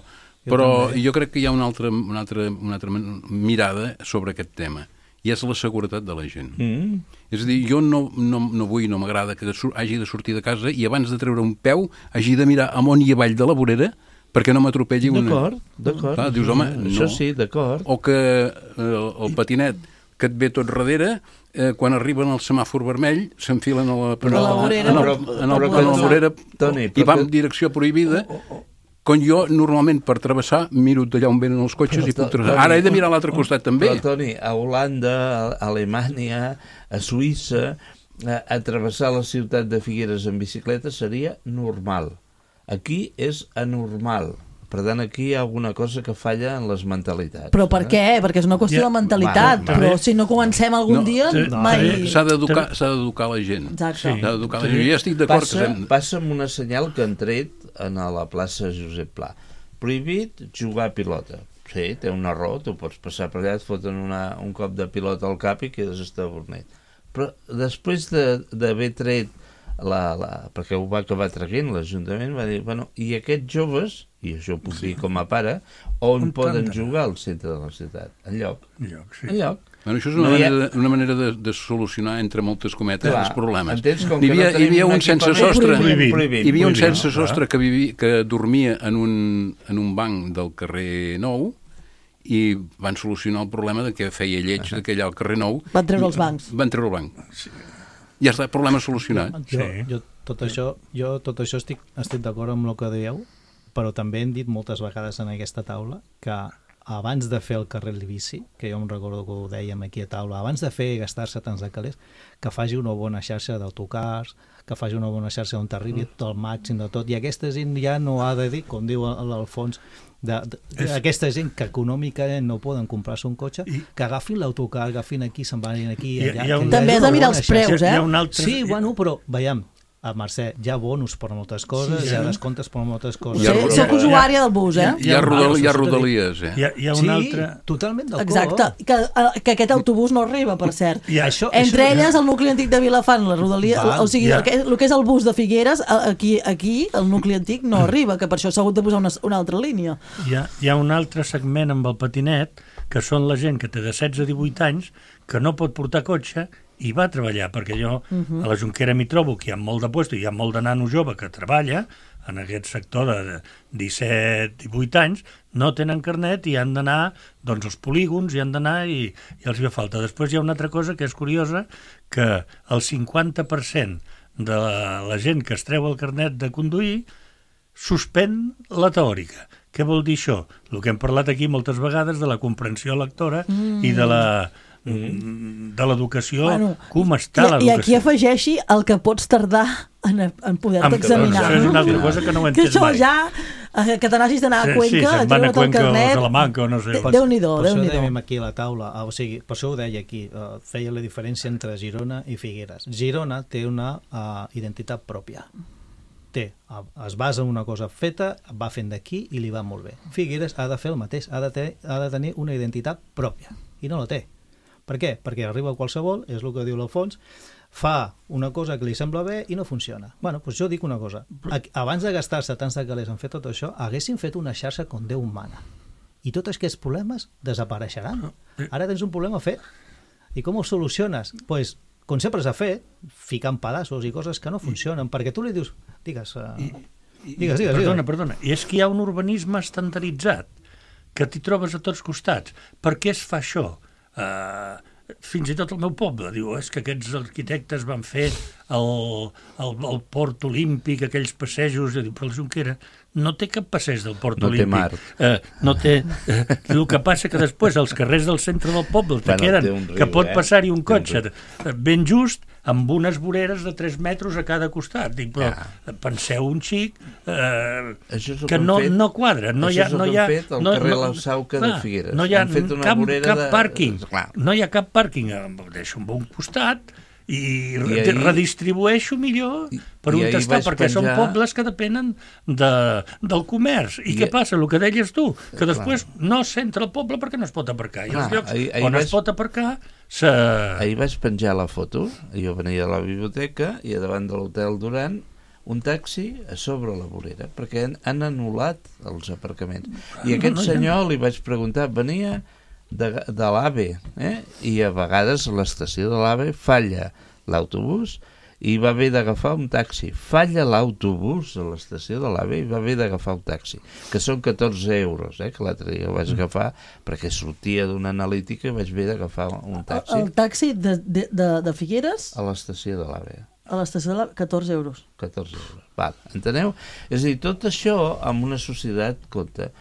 però jo, jo crec que hi ha una altra, una, altra, una altra mirada sobre aquest tema, i és la seguretat de la gent. Mm. És a dir, jo no, no, no vull, no m'agrada que hagi de sortir de casa i abans de treure un peu hagi de mirar amunt i avall de la vorera perquè no m'atropelli una... D'acord, d'acord. Clar, dius, home, no. Això sí, d'acord. O que el, el patinet que et ve tot darrere, eh, quan arriben al semàfor vermell, s'enfilen a la, a la vorera, en el, en el, en la vorera Toni, i van en direcció prohibida. Oh, oh, oh. Quan jo, normalment, per travessar, miro d'allà on venen els cotxes però, i puc travessar. Ara he de mirar a l'altre costat, també. Però, Toni, a Holanda, a Alemanya, a Suïssa, a, a travessar la ciutat de Figueres en bicicleta seria normal. Aquí és anormal. Per tant, aquí hi ha alguna cosa que falla en les mentalitats. Però per què? Perquè és una qüestió ja, de mentalitat. Va, va, però si no comencem algun no, dia, no, mai... S'ha d'educar la gent. Exacte. S'ha d'educar la gent. Jo ja estic d'acord que... Hem... Passa amb una senyal que han tret a la plaça Josep Pla. Prohibit jugar a pilota. Sí, té un error, tu pots passar per allà, et foten una, un cop de pilota al cap i quedes estabornit. Però després d'haver de, tret la, la, perquè ho va acabar traient l'Ajuntament, va dir, bueno, i aquests joves, i això ho puc dir com a pare, on poden jugar al centre de la ciutat? Enlloc. Enlloc, sí. Enlloc. Bueno, això és una, no manera, ha... de, una manera de, de solucionar, entre moltes cometes, Clar, els problemes. Entens, com hi havia, no hi havia un sense sostre, prohibit, prohibit, hi havia un prohibit, sense no? sostre que, vivi, que dormia en un, en un banc del carrer Nou i van solucionar el problema de que feia lleig uh -huh. que allà al carrer Nou. Van treure els bancs. Van treure el banc. Sí. Ja està, problema solucionat. Jo, sí. jo, tot això, jo tot això estic, estic d'acord amb el que dèieu, però també hem dit moltes vegades en aquesta taula que abans de fer el carril bici, que jo em recordo que ho dèiem aquí a taula, abans de fer gastar-se tants de calés, que faci una bona xarxa d'autocars, que faci una bona xarxa on t'arribi tot el màxim de tot, i aquesta gent ja no ha de dir, com diu l'Alfons, de, de, de, aquesta gent que econòmicament no poden comprar-se un cotxe, I... que agafin l'autocar, agafin aquí, se'n van aquí, allà. I, i un... També has de mirar els preus, eh? Altre... Sí, bueno, però veiem, a Mercè, hi ha bonus per moltes coses, sí, sí. hi ha descomptes per moltes coses. Sí, soc usuària del bus, eh? Hi ha, rodal, hi ha rodalies, eh? Hi ha, hi ha un sí, altre... totalment d'acord. Exacte, que, que aquest autobús no arriba, per cert. I això, Entre això, elles, el nucli antic de Vilafant, la rodalia, va, o sigui, ja. el, que, el que és el bus de Figueres, aquí, aquí el nucli antic no arriba, que per això s'ha hagut de posar una, una altra línia. Hi ha, hi ha un altre segment amb el patinet, que són la gent que té de setze a divuit anys, que no pot portar cotxe i va a treballar, perquè jo uh-huh. a la Jonquera m'hi trobo que hi ha molt de puesto, hi ha molt de nano jove que treballa en aquest sector de disset a divuit anys, no tenen carnet i han d'anar doncs, als polígons, i han d'anar i, i els hi fa falta. Després hi ha una altra cosa que és curiosa, que el cinquanta per cent de la, la gent que es treu el carnet de conduir suspèn la teòrica. Què vol dir això? El que hem parlat aquí moltes vegades de la comprensió lectora mm. i de la de l'educació, bueno, com està l'educació. I aquí afegeixi el que pots tardar en, en poder-te examinar. Això és una altra cosa que no ho he entès mai. Que això ja, que te n'hagis d'anar a Cuenca, sí, se'n van a Cuenca o a Salamanca o no sé. Déu-n'hi-do, per Déu-n'hi-do. Per això dèiem aquí a la taula, o sigui, per això ho deia aquí, uh, feia la diferència entre Girona i Figueres. Girona té una uh, identitat pròpia. Té, es basa en una cosa feta, va fent d'aquí i li va molt bé. Figueres ha de fer el mateix, ha de, ter, ha de tenir una identitat pròpia, i no la té. Per què? Perquè arriba qualsevol, és el que diu l'Alfons, fa una cosa que li sembla bé i no funciona. Bueno, doncs jo dic una cosa, abans de gastar-se tants de calés en fer tot això, haguessin fet una xarxa com Déu mana, i tots aquests problemes desapareixeran. Ara tens un problema fet, i com ho soluciones? Doncs, pues, com sempre s'ha fet, ficant pedaços i coses que no funcionen, perquè tu li dius, digues, uh, I, i, digues, digues, perdona, digues. perdona, i és que hi ha un urbanisme estandarditzat, que t'hi trobes a tots costats. Per què es fa això? Uh, fins i tot el meu poble diu, és que aquests arquitectes van fer el, el, el port olímpic, aquells passejos, diu, però la Jonquera no té cap passeig del port no olímpic. Té mar. Uh, no té uh, el que passa que després els carrers del centre del poble te bueno, queden, riu, que pot eh? passar-hi un cotxe ben just, amb unes voreres de tres metres a cada costat. Dic, però ja. Penseu un xic eh, que, que no, fet, no quadra. No hi ha, no hi ha, fet al no, carrer no, La Sauca clar, de Figueres. No hi ha fet una cap, cap de... pàrquing. Clar. No hi ha cap pàrquing. Deixo en un costat i, I ahir... redistribueixo millor per on està, perquè penjar... són pobles que depenen de, del comerç. I, I què passa? El que deies tu, que després Clar. no s'entra al poble perquè no es pot aparcar. I Clar, els llocs ahir, ahir on vaig... es pot aparcar... Se... Ahir vaig penjar la foto, jo venia a la biblioteca i a davant de l'Hotel Duran un taxi a sobre la vorera, perquè han, han anul·lat els aparcaments. I aquest no, no, senyor li vaig preguntar, venia de, de l'AVE, eh? I a vegades a l'estació de l'AVE falla l'autobús i va haver d'agafar un taxi. Falla l'autobús a l'estació de l'AVE i va haver d'agafar un taxi, que són catorze euros, eh? Que l'altre dia vaig agafar perquè sortia d'una analítica i vaig haver d'agafar un taxi. El, el taxi de, de, de, de Figueres? A l'estació de l'AVE. A l'estació de l'AVE, catorze euros. catorze euros, val, enteneu? És a dir, tot això amb una societat compta.